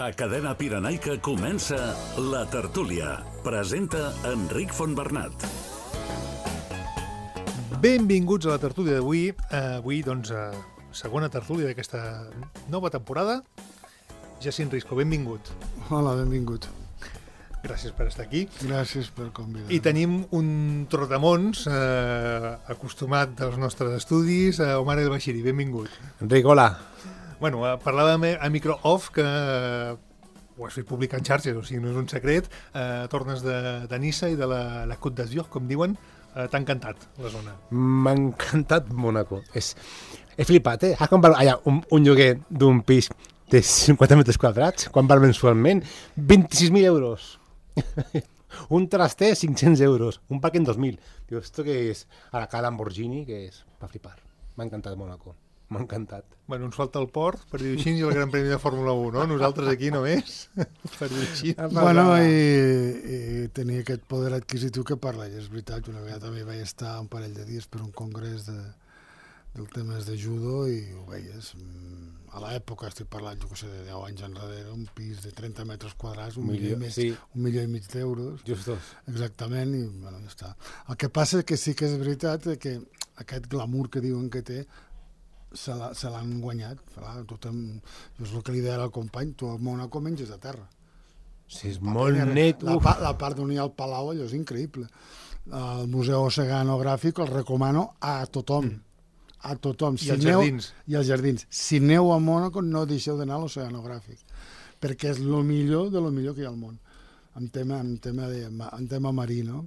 A Cadena Pirenaica comença La Tertúlia. Presenta Enric Fontbernat. Benvinguts a la tertúlia d'avui. Avui, doncs, segona tertúlia d'aquesta nova temporada. Jacint Risco, benvingut. Hola, benvingut. Gràcies per estar aquí. Gràcies per convidar. I tenim un trotamons acostumat dels nostres estudis, Omar El Bashiri, benvingut. Enric, hola. Bueno, parlàvem a micro-off que ho has fet publicar en xarxes, o sigui, no és un secret. Tornes de Niça i de la Côte d'Azur, com diuen. T'ha encantat la zona. M'ha encantat Mónaco. He flipat, eh? Allà, un lloguer d'un pis de 50 metres quadrats, quan val mensualment? 26.000 euros. Un traster, 500 euros. Un parc en 2.000. Diu, esto què és? A la cara Lamborghini, que és? Va flipar. M'ha encantat Mónaco. M'ha encantat. Bueno, ens falta el port, per dir-ho així, i el Gran Premi de Fórmula 1, no? Nosaltres aquí només, per dir-ho així. Bueno, i tenia aquest poder adquisitiu que parla, i és veritat, una vegada també vaig estar un parell de dies per un congrés del temes de judo i ho veies. A l'època, estic parlant, jo que sé, de 10 anys enrere, un pis de 30 metres quadrats, un milió i mig d'euros. Justos. Exactament, i bueno, ja està. El que passa és que sí que és veritat que aquest glamour que diuen que té se l'han guanyat. Jo és el que li deia al company, tu a Mónaco menges a terra. Sí, és molt net. La part on hi ha el palau, allò és increïble. El Museu Oceanogràfic el recomano a tothom. A tothom. I als jardins. I als jardins. Si aneu a Mónaco, no deixeu d'anar a l'Oceanogràfic, perquè és el millor de lo millor que hi ha al món, en tema marí, no?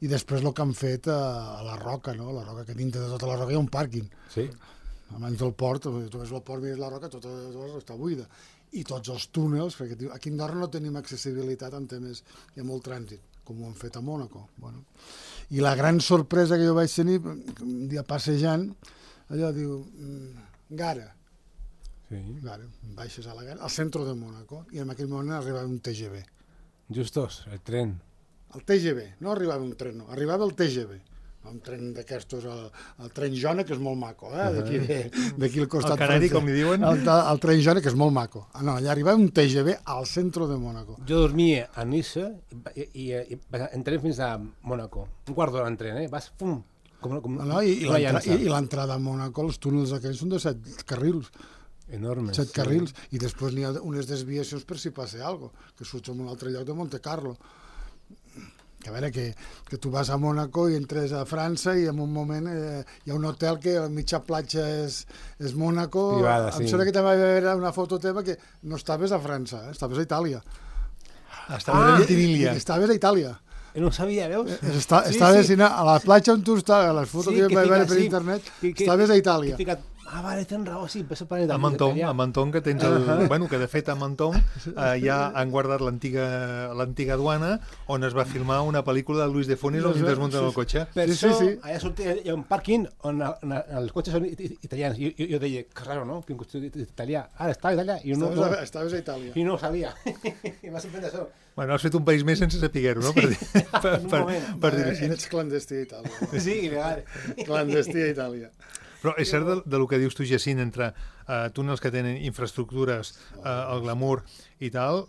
I després el que han fet a la Roca, no? La Roca, que dintre de tota la Roca hi ha un pàrquing. Sí. Abans del port, tu ves el port, mires la Roca, tota està buida. I tots els túnels, perquè aquí a Andorra no tenim accessibilitat en temes, hi ha molt trànsit, com ho han fet a Mónaco. Bueno. I la gran sorpresa que jo vaig tenir, un dia passejant, allò diu, Gara. Sí. Gara, baixes a la Gara, al centre de Mónaco, i en aquell moment arribava un TGV. Justos, el tren. El TGV, no arribava un tren, no, arribava el TGV. Un tren d'aquestos, el tren Jona, que és molt maco, d'aquí al costat. El canari, com li diuen? El tren Jona, que és molt maco. No, allà arribava un TGV al centre de Mónaco. Jo dormia a Niça i entrem fins a Mónaco. Un quart d'hora en tren, Vas, pum, I l'entrada a Mónaco, els túnels aquells són de 7 carrils. Enormes. 7 carrils, i després n'hi ha unes desviacions per si passa alguna cosa, que surts en un altre lloc de Monte Carlo. Que a veure, que tu vas a Mónaco i entres a França i en un moment hi ha un hotel que a mitja platja és Mónaco. Privada, sí. Em sembla que també va haver una foto teva que no estaves a França, estaves a Itàlia. Estaves a Ventimiglia. Estaves a Itàlia. No ho sabia, veus? Estaves a la platja on tu estaves, a les fotos que vaig veure per internet, estaves a Itàlia. Vale, tens raó, sí, a Menton, que tens bueno, que de fet a Menton ja han guardat l'antiga duana on es va filmar una pel·lícula de Luis de Funes on desmunten el cotxe. Per això, allà hi ha un pàrquing on els cotxes són italians. Jo deia, que raro, no? Que un cotxe italià. Estaves allà. Estaves a Itàlia. I no ho sabia. I m'ha sorprès això. Bueno, has fet un país més sense saber-ho, no? Per dir-ho així. Ets clandestí a Itàlia. Sí, legal. Clandestí a Itàlia. Però és cert del que dius tu, Jacint, entre túnels que tenen infraestructures, el glamour i tal,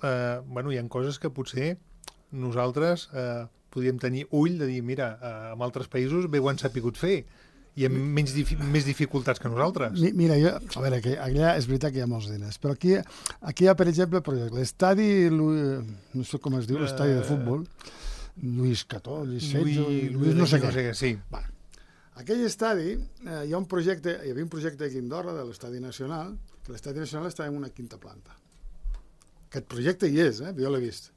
bueno, hi ha coses que potser nosaltres podríem tenir ull de dir, mira, en altres països bé ho han sapigut fer i amb més dificultats que nosaltres. Mira, a veure, que allà és veritat que hi ha molts diners, però aquí hi ha, per exemple, l'estadi, no sé com es diu, l'estadi de futbol, Lluís XIV, Lluís no sé què. Sí. Aquell estadi, hi havia un projecte aquí a Andorra, de l'Estadi Nacional, que l'Estadi Nacional estava en una quinta planta. Aquest projecte hi és, jo l'he vist.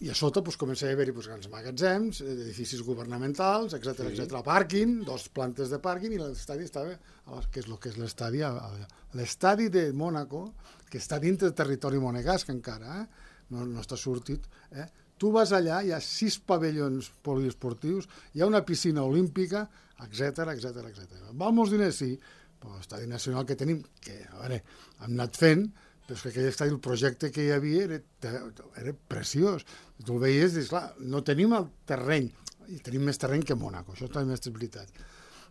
I a sota comença a haver-hi grans magatzems, edificis governamentals, etc. Pàrquing, 2 plantes de pàrquing, i l'estadi estava, que és el que és l'estadi, l'estadi de Mónaco, que està dintre del territori monegasc encara, no està sortit, Tu vas allà, hi ha 6 pavellons poliesportius, hi ha una piscina olímpica, etc. Val molts diners, sí, però l'estadi nacional que tenim, que, a veure, hem anat fent, però és que aquell estadi, el projecte que hi havia era preciós. Tu el veies i dius, clar, no tenim el terreny, i tenim més terreny que Mónaco, això també és veritat.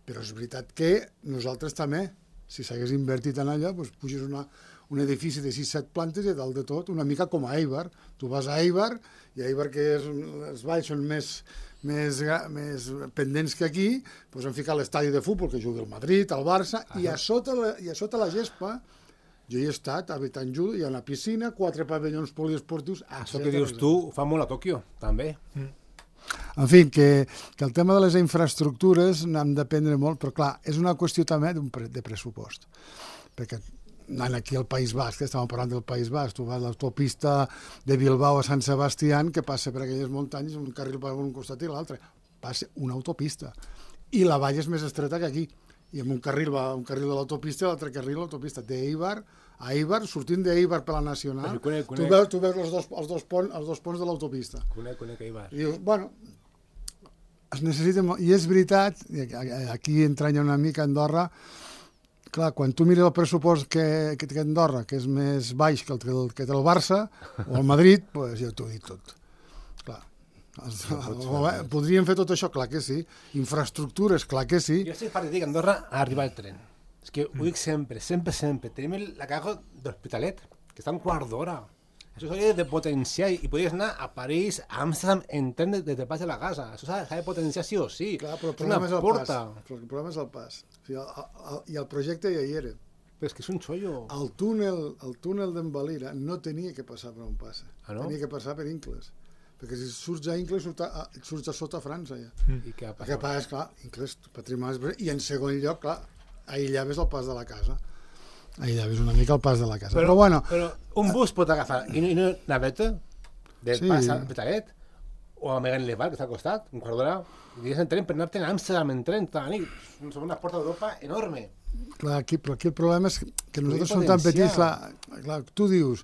Però és veritat que nosaltres també, si s'hagués invertit en allò, puges un edifici de 6-7 plantes i dalt de tot, una mica com a Eibar. Tu vas a Eibar, i Eibar, que els valls són més pendents que aquí, doncs han ficat l'estadi de futbol que juga el Madrid, el Barça, i a sota la gespa, jo hi he estat, a Betanjul, hi ha una piscina, 4 pavellons poliesportius... Això que dius tu ho fa molt a Tòquio, també. En fi, que el tema de les infraestructures n'hem d'aprendre molt, però clar, és una qüestió també de pressupost. Perquè anant aquí al País Basc, estàvem parlant del País Basc, tu vas a l'autopista de Bilbao a Sant Sebastián, que passa per aquelles muntanyes, un carril per un costat i l'altre. Passa una autopista. I la vall és més estreta que aquí. I amb un carril va un carril de l'autopista i l'altre carril de l'autopista. D'Eibar a Eibar, sortint d'Eibar per la Nacional, tu veus els dos ponts de l'autopista. Conec Eibar. I dius, bueno, es necessita molt. I és veritat, aquí entranya una mica Andorra, clar, quan tu mires el pressupost que té Andorra, que és més baix que té el Barça o el Madrid, doncs ja t'ho he dit tot. Clar. Podríem fer tot això? Clar que sí. Infraestructures? Clar que sí. Jo estic partint que Andorra ha arribat el tren. És que ho dic sempre. Tenim la caja de l'Hospitalet, que està un quart d'hora. Això s'hauria de potenciar i podries anar a París, a Amsterdam, en tren des del pas de la casa. Això s'ha de potenciar sí o sí. Clar, però el problema és el pas. El problema és el pas. I el projecte ja hi era. Però és que és un xollo. El túnel d'en no tenia que passar per on passa. Tenia que passar per Incles. Perquè si surts a Incles, surts a sota França, ja. I què passa? El que passa és, clar, Incles, patrimoni... I en segon lloc, clar, aïllaves el pas de la casa. Aïllaves una mica el pas de la casa. Però bueno... Però un bus pot agafar i no naveta del pas a Petalet o a Megan Levar, que està al costat, un quart d'hora, i digues en tren per anar-te'n a Amsterdam en tren tota la nit. És una porta d'Europa enorme. Clar, però aquí el problema és que nosaltres som tan petits. Clar, tu dius,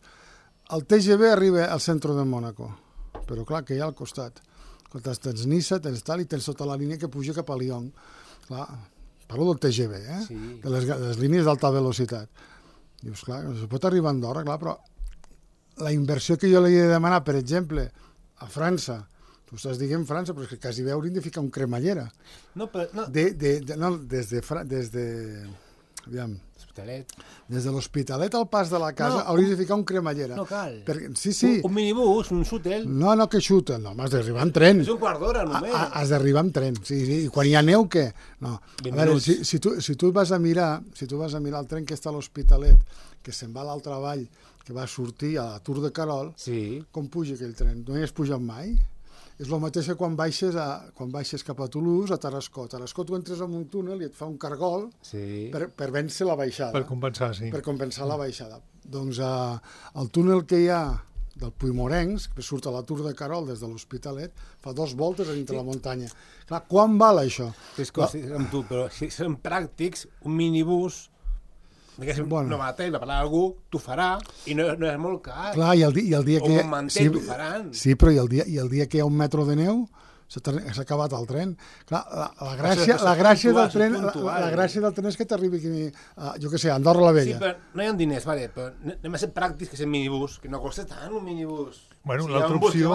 el TGV arriba al centre de Mònaco, però clar, que hi ha al costat. Quan tens Niça, tens tal, i tens tota la línia que puja cap a Lyon. Clar, parlo del TGV, sí. De les línies d'alta velocitat. Dius, clar, es pot arribar a Andorra, clar, però la inversió que jo li he de demanar, per exemple, a França, tu estàs dient França, però és que quasi bé hauríem de ficar un cremallera. No, però... No. Des de aviam, L'Hospitalet. Des de l'Hospitalet al pas de la casa hauries de ficar un cremallera. No cal. Sí. Un minibús, un shuttle. No, que xuta. No, has d'arribar en tren. És un quart d'hora, només. Has d'arribar en tren. Sí. I quan hi ha neu, què? No. A veure, si tu vas a mirar el tren que està a l'Hospitalet, que se'n va a l'altra vall, que va sortir a la Tour de Carol, com puja aquell tren? No hi has pujat mai? És el mateix que quan baixes cap a Toulouse, a Tarascó. A Tarascó tu entres en un túnel i et fa un cargol per vèncer la baixada. Per compensar, sí. Per compensar la baixada. Doncs el túnel que hi ha del Puigmorencs, que surt a la Tour de Carol des de l'Hospitalet, fa 2 voltes a dintre la muntanya. Clar, quan val això? És que amb tu, però si són pràctics, un minibús... no mateix, va parlar algú, t'ho farà, i no és molt car. Clar, i el dia que... O un mantell, t'ho faran. Sí, però i el dia que hi ha un metro de neu, s'ha acabat el tren. Clar, la gràcia del tren és que t'arribi aquí, jo què sé, a Andorra la Vella. Sí, però no hi ha diners, vale, però anem a ser pràctics que és el minibús, que no costa tant un minibús. Bueno, l'altra opció...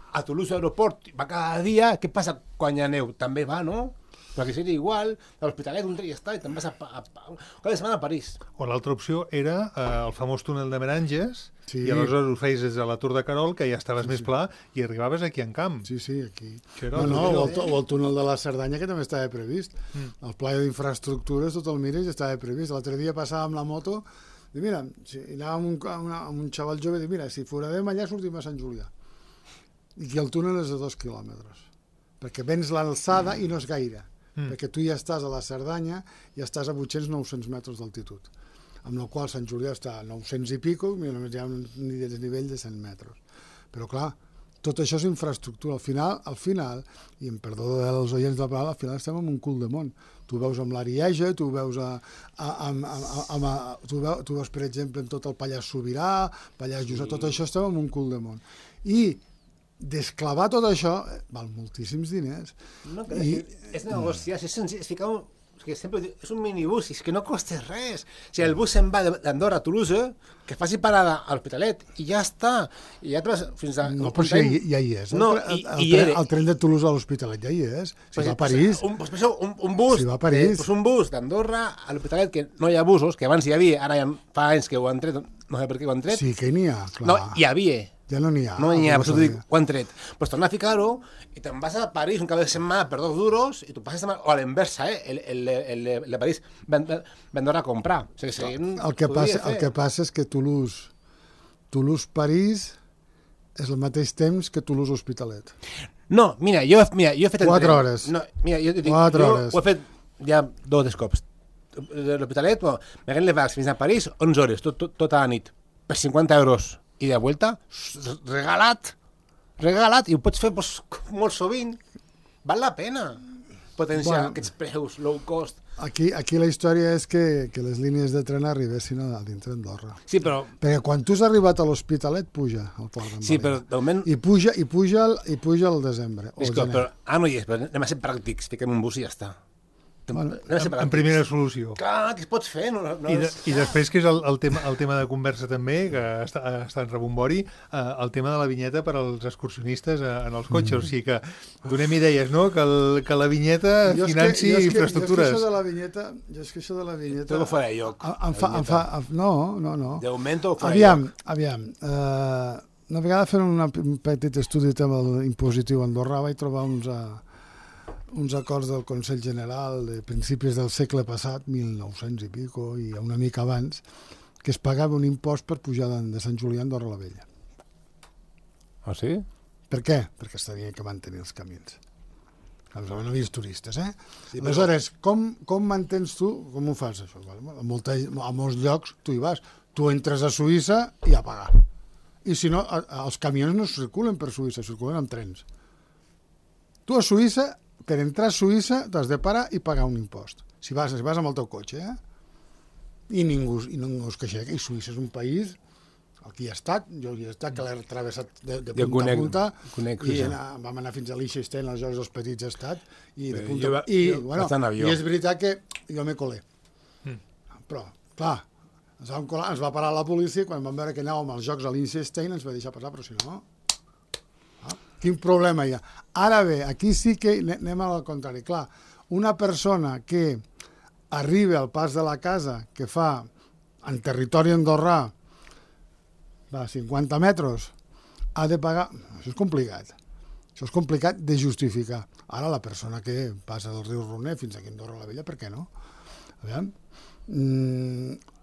A Toulouse Aeroport va cada dia, què passa quan hi ha neu? També va, no? Però que seria igual, a l'Hospitalet un dia està i te'n vas cada setmana a París. O l'altra opció era el famós túnel de Meranges, i aleshores ho feies des de la Tour de Carol, que ja estaves més pla, i arribaves aquí en camp. Sí, aquí. O el túnel de la Cerdanya, que també estava previst. El pla d'infraestructures, tot el mires, estava previst. L'altre dia passàvem la moto, i mira, anàvem amb un xaval jove, i mira, si foradem allà sortim a Sant Julià. I que el túnel és de 2 quilòmetres. Perquè vens l'alçada i no és gaire. Perquè tu ja estàs a la Cerdanya i estàs a 800-900 metres d'altitud, amb la qual Sant Julià està a 900 i pico, i només hi ha un desnivell de 100 metres. Però clar, tot això és infraestructura. Al final, i em perdó dels oients de la paraula, al final estem en un cul de món. Tu veus amb l'Arieja, tu veus per exemple en tot el Pallars Sobirà, Pallars Jussà, tot això estem en un cul de món. I desclavar tot això val moltíssims diners. No, és negociar, és senzill, és ficar que sempre diu, és un minibús, és que no costa res. Si el bus se'n va d'Andorra a Toulouse, que faci parada a l'Hospitalet, i ja està. I ja et vas fins a... No, però sí, ja hi és. No, el tren de Toulouse a l'Hospitalet ja hi és. Si va a París... Un bus, si va a París... un bus d'Andorra a l'Hospitalet, que no hi ha busos, que abans hi havia, ara ja fa anys que ho han tret, no sé per què ho han tret. Sí, que n'hi ha, clar. No, hi havia. Ja no n'hi ha. No n'hi ha, per això t'ho dic, ho han tret. Doncs torna a ficar-ho i te'n vas a París un cap de setmana per 2 duros i tu passes o a l'inversa, el de París vendrà a comprar. O sigui, el que passa és que Toulouse-París és al mateix temps que Toulouse-Hospitalet. No, mira, jo he fet... 4 hores. No, mira, jo dic, 4 hores. Ho he fet ja 2 cops. L'Hospitalet, m'haguem levat fins a París 11 hores, tota la nit, per 50 euros. I de vuelta, regalat, i ho pots fer molt sovint. Val la pena potenciar aquests preus low cost. Aquí la història és que les línies de tren arribessin a dintre d'Andorra. Sí, però... Perquè quan tu has arribat a l'Hospitalet, puja al port d'Andorra. Sí, però de moment... I puja al desembre. Però no hi és, però anem a ser pràctics, fiquem un bus i ja està. En primera solució. Clar, què es pots fer? I després, que és el tema de conversa també, que està en rebombori, el tema de la vinyeta per als excursionistes en els cotxes. O sigui que donem idees, no? Que la vinyeta financi infraestructures. Jo és que això de la vinyeta... Tot ho faré jo. No. De moment ho faré jo. Aviam. Una vegada fent un petit estudi tema impositiu a Andorra vaig trobar uns acords del Consell General de principis del segle passat, 1900 i pico, i una mica abans, que es pagava un impost per pujar de Sant Julià a Andorra la Vella. Ah, sí? Per què? Perquè s'havien que mantenir els camins. No havies turistes, Sí, aleshores, com mantens tu, com ho fas, això? A molts llocs tu hi vas. Tu entres a Suïssa i a pagar. I si no, els camions no circulen per Suïssa, circulen amb trens. Tu a Suïssa, per entrar a Suïssa, t'has de parar i pagar un impost. Si vas amb el teu cotxe, I ningú es queixa. I Suïssa és un país, aquí hi he estat, jo hi he estat, que l'he travessat de punta a punta, i vam anar fins a Liechtenstein, als Jocs dels Petits he estat, i de punta... I és veritat que jo me colé. Però, clar, ens va parar la policia, quan vam veure que anàvem als Jocs a Liechtenstein, ens va deixar passar, però si no... Quin problema hi ha? Ara bé, aquí sí que anem al contrari. Clar, una persona que arriba al pas de la casa, que fa en territori andorrà 50 metres, ha de pagar... Això és complicat. Això és complicat de justificar. Ara la persona que passa del riu Roner fins aquí a Andorra la Vella, per què no? Aviam.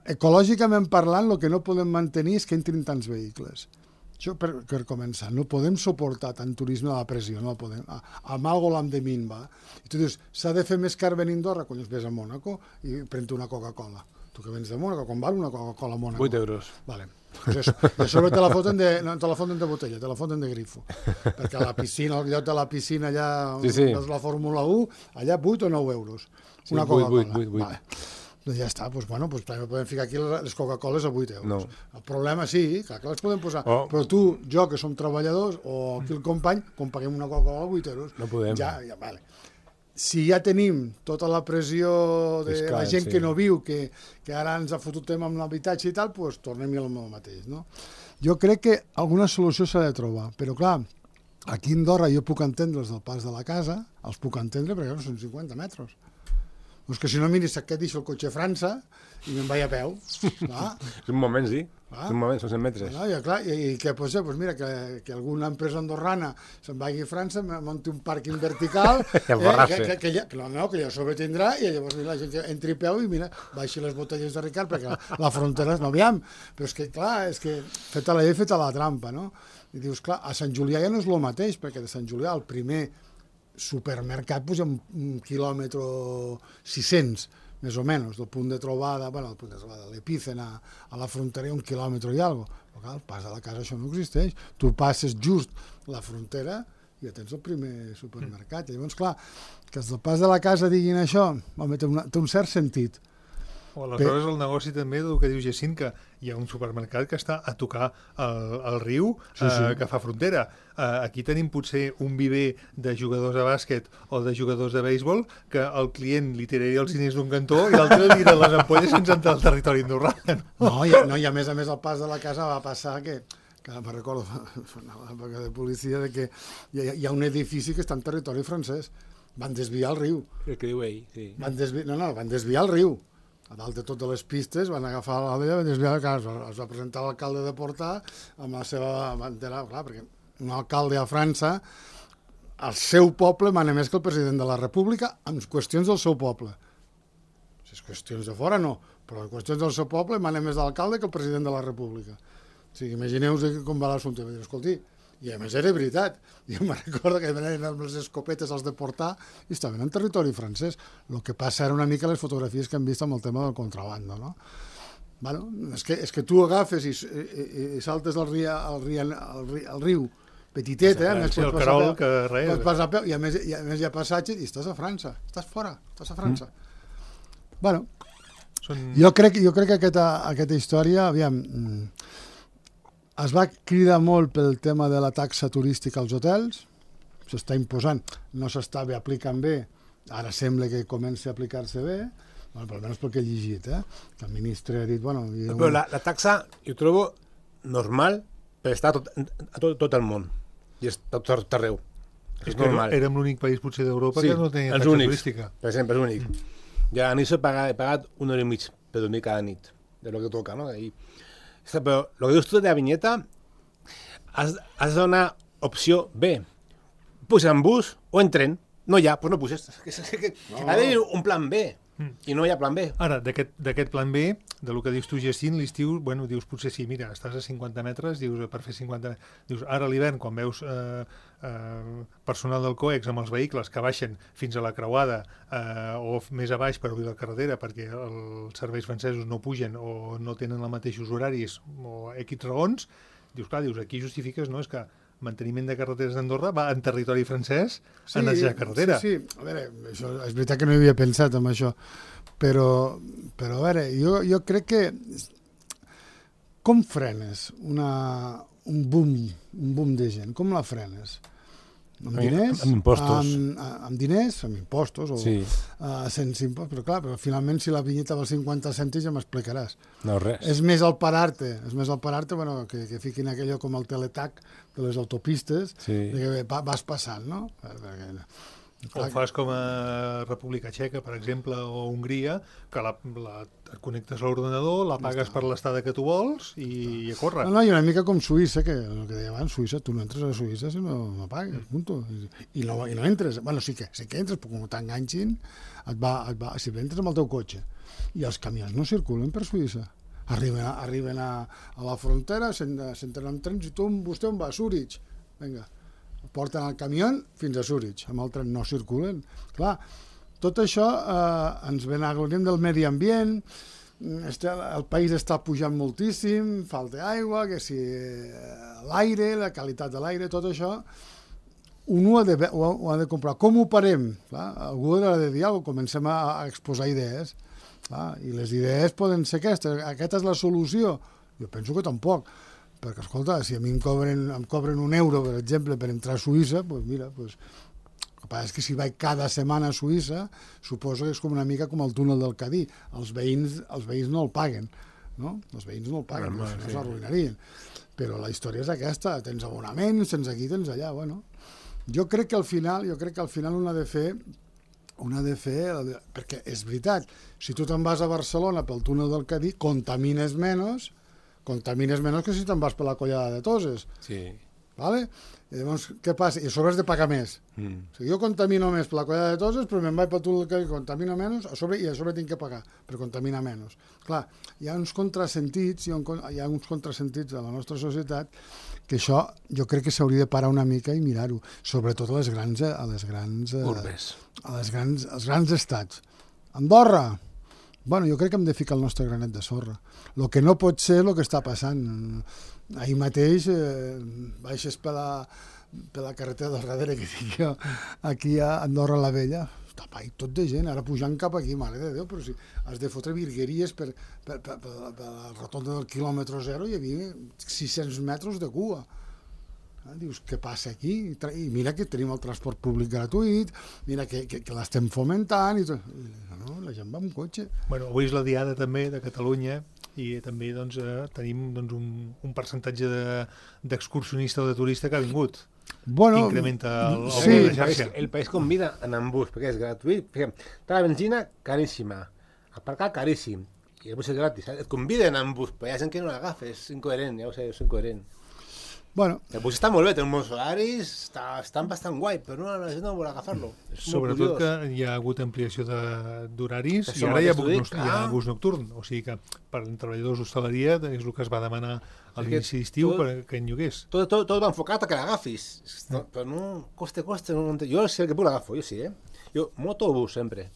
Ecològicament parlant, el que no podem mantenir és que entrin tants vehicles. Això per començar, no podem suportar tant turisme a la pressió, no podem. Amb algo l'hem de minvar. I tu dius, s'ha de fer més car venir a Andorra? Quan ves a Mònaco i pren una Coca-Cola. Tu que vens de Mònaco, com val una Coca-Cola a Mònaco? 8 euros. Vale. Pues a sobre te la foten de botella, te la foten de grifo. Perquè a la piscina, al lloc de la piscina allà on veus la Fórmula 1, allà 8 o 9 euros. Una Coca-Cola. 8. Vale. Doncs ja està, doncs també podem ficar aquí les Coca-Coles a 8 euros. No. El problema sí, clar que les podem posar, però tu, jo, que som treballadors, o aquí el company, com paguem una Coca-Cola a 8 euros... No podem. Ja, vale. Si ja tenim tota la pressió de fiscal, la gent que no viu, que ara ens ha fotut tema amb l'habitatge i tal, doncs tornem al mateix, no? Jo crec que alguna solució s'ha de trobar, però clar, aquí a Andorra jo puc entendre els del pas de la casa, els puc entendre perquè no són 50 metres. Doncs que si no miris que deixo el cotxe a França i me'n vaig a peu. És un moment, sí. És un moment, són 100 metres. I què pot ser? Doncs mira, que alguna empresa andorrana se'n vagi a França, munti un pàrquing vertical, que ja sobretindrà, i llavors la gent entri a peu i mira, baixi les botelles de Ricard, perquè la frontera no aviam. Però és que, clar, feta la llei, feta la trampa, no? I dius, clar, a Sant Julià ja no és el mateix, perquè de Sant Julià el primer supermercat puja un quilòmetre 600, més o menys, del punt de trobada, l'epícena a la frontera, un quilòmetre i alguna cosa. Però clar, al pas de la casa això no existeix. Tu passes just la frontera i ja tens el primer supermercat. I llavors, clar, que els del pas de la casa diguin això, home, té un cert sentit. O aleshores el negoci també del que diu Jacint, que hi ha un supermercat que està a tocar el riu que fa frontera. Aquí tenim potser un viver de jugadors de bàsquet o de jugadors de béisbol que el client li tiraria els diners d'un cantó i l'altre li tira les ampolles sense entrar al territori andorrà. No, i a més al pas de la casa va passar que me recordo una època de policia de que hi ha un edifici que està en territori francès. Van desviar el riu. El que diu ell, sí. Van desviar el riu. A dalt de totes les pistes van agafar l'àvia, van desviar el cas. Es va presentar l'alcalde de Portà amb la seva bandera, clar, perquè un alcalde a França, el seu poble mana més que el president de la República en qüestions del seu poble. Si és qüestions de fora, no, però en qüestions del seu poble mana més l'alcalde que el president de la República. O sigui, imagineu-vos com va l'assumpte. Escolti, i a més era veritat. Jo me'n recordo que venen amb les escopetes als de Portà i estaven en territori francès. El que passa era una mica les fotografies que hem vist amb el tema del contrabando, no? Bueno, és que tu agafes i saltes al riu petitet, Sí, el Carol, que res. I a més hi ha passatge i estàs a França, estàs fora, estàs a França. Bueno, jo crec que aquesta història, aviam, es va cridar molt pel tema de la taxa turística als hotels, s'està imposant, no s'està bé aplicant bé, ara sembla que comença a aplicar-se bé, bueno, però almenys pel que he llegit, que el ministre ha dit... Bueno, però la taxa jo trobo normal per estar a tot el món, i és tot arreu. És normal. Érem l'únic país potser d'Europa que no tenia taxa turística. Per exemple, és l'únic. Ja a Niça he pagat 1 hora i mig per dormir cada nit, de lo que toca, no? Però el que dius tu de la vinyeta, has de donar opció B. Puja en bus o en tren. No hi ha, doncs no puges. Ha d'haver un plan B. I no hi ha plan B. Ara, d'aquest plan B, del que dius tu, Jacint, l'estiu, bueno, dius potser sí, mira, estàs a 50 metres, dius, per fer 50 metres, dius, ara a l'hivern, quan veus personal del COEX amb els vehicles que baixen fins a la creuada o més a baix per obrir la carretera perquè els serveis francesos no pugen o no tenen els mateixos horaris o X raons, dius, clar, aquí justifiques, no? És que manteniment de carreteres d'Andorra va en territori francès a netejar carretera. Sí, a veure, això, és veritat que no hi havia pensat en això, però a veure, jo crec que com frenes un boom de gent? Com la frenes? Amb diners? Amb impostos. Amb diners, amb impostos, o sí. Sense impostos, però clar, però finalment si la vinyeta val 50 cèntims ja m'explicaràs. No, res. És més el parar-te, bueno, que fiquin aquello com el teletac de les autopistes, sí. que vas passant, no? O fas com a República Txeca, per exemple, o Hongria, que et connectes a l'ordenador, la pagues per l'estada que tu vols i a córrer. No, i una mica com Suïssa, que el que deia abans, Suïssa, tu no entres a Suïssa si no pagues, punto. I no entres, bueno, sí que entres, però com t'enganxin, si entres amb el teu cotxe. I els camions no circulen per Suïssa. Arriben a la frontera, s'entren amb trens i vostè on va? A Zurich. Vinga. Porten el camió fins a Zurich, amb el tren no circulen. Clar, tot això ens benagloriem del medi ambient, el país està pujant moltíssim, falta aigua, que si l'aire, la qualitat de l'aire, tot això, un ho ha de comprar. Com ho parem? Clar, algú ha de dir alguna cosa, comencem a exposar idees. Clar, i les idees poden ser aquestes. Aquesta és la solució? Jo penso que tampoc. Perquè, escolta, si a mi em cobren €1, per exemple, per entrar a Suïssa, doncs mira, el que passa és que si vaig cada setmana a Suïssa, suposo que és com una mica com el túnel del Cadí. Els veïns no el paguen, no? Els veïns no el paguen, no s'arruïnarien. Però la història és aquesta, tens abonaments, tens aquí, tens allà, bueno. Jo crec que al final un ha de fer, perquè és veritat, si tu te'n vas a Barcelona pel túnel del Cadí, contamines menys que si te'n vas per la Collada de Toses. Sí. Vale? I llavors, què passa? I a sobre has de pagar més. O sigui, jo contamino més per la Collada de Toses, però me'n vaig pel túnel del Cadí, contamino menys, i a sobre tinc que pagar per contaminar menys. Clar, hi ha uns contrasentits a la nostra societat que això jo crec que s'hauria de parar una mica i mirar-ho, sobretot a les grans urbes, als grans estats. Andorra, bueno, jo crec que hem de ficar el nostre granet de sorra. El que no pot ser el que està passant. Ahir mateix baixes per la carretera del darrere que dic jo, aquí a Andorra la Vella, està ai, tot de gent, ara pujant cap aquí, mare de Déu, però si has de fotre virgueries per la rotonda del quilòmetre zero, hi havia 600 metres de cua. Dius, què passa aquí? I mira que tenim el transport públic gratuït, mira que l'estem fomentant, i tot. No, la gent va amb cotxe. Bueno, avui és la diada també de Catalunya i també doncs, tenim doncs, un percentatge d'excursionista o de turista que ha vingut. Bueno, que incrementa el sí, de xarxa. El país convida a anar en bus, perquè és gratuït. Tota la benzina, caríssima. Aparcar, caríssim. I el bus és gratis. Et conviden a anar en bus, però hi ha gent que no l'agafa. És incoherent, ja ho sé, és incoherent. Bueno, el bus està molt bé, té uns bons horaris, estan bastant guai, però la gent no vol agafar-lo. Sobretot que hi ha hagut ampliació d'horaris i ara hi ha bus nocturn. O sigui que per als treballadors d'hostaleria és el que es va demanar a l'inici d'estiu que en llogués. Tot va enfocat a que l'agafis, però no, coste, no, jo sé que puc l'agafo, jo sí, Jo, moto o bus, sempre.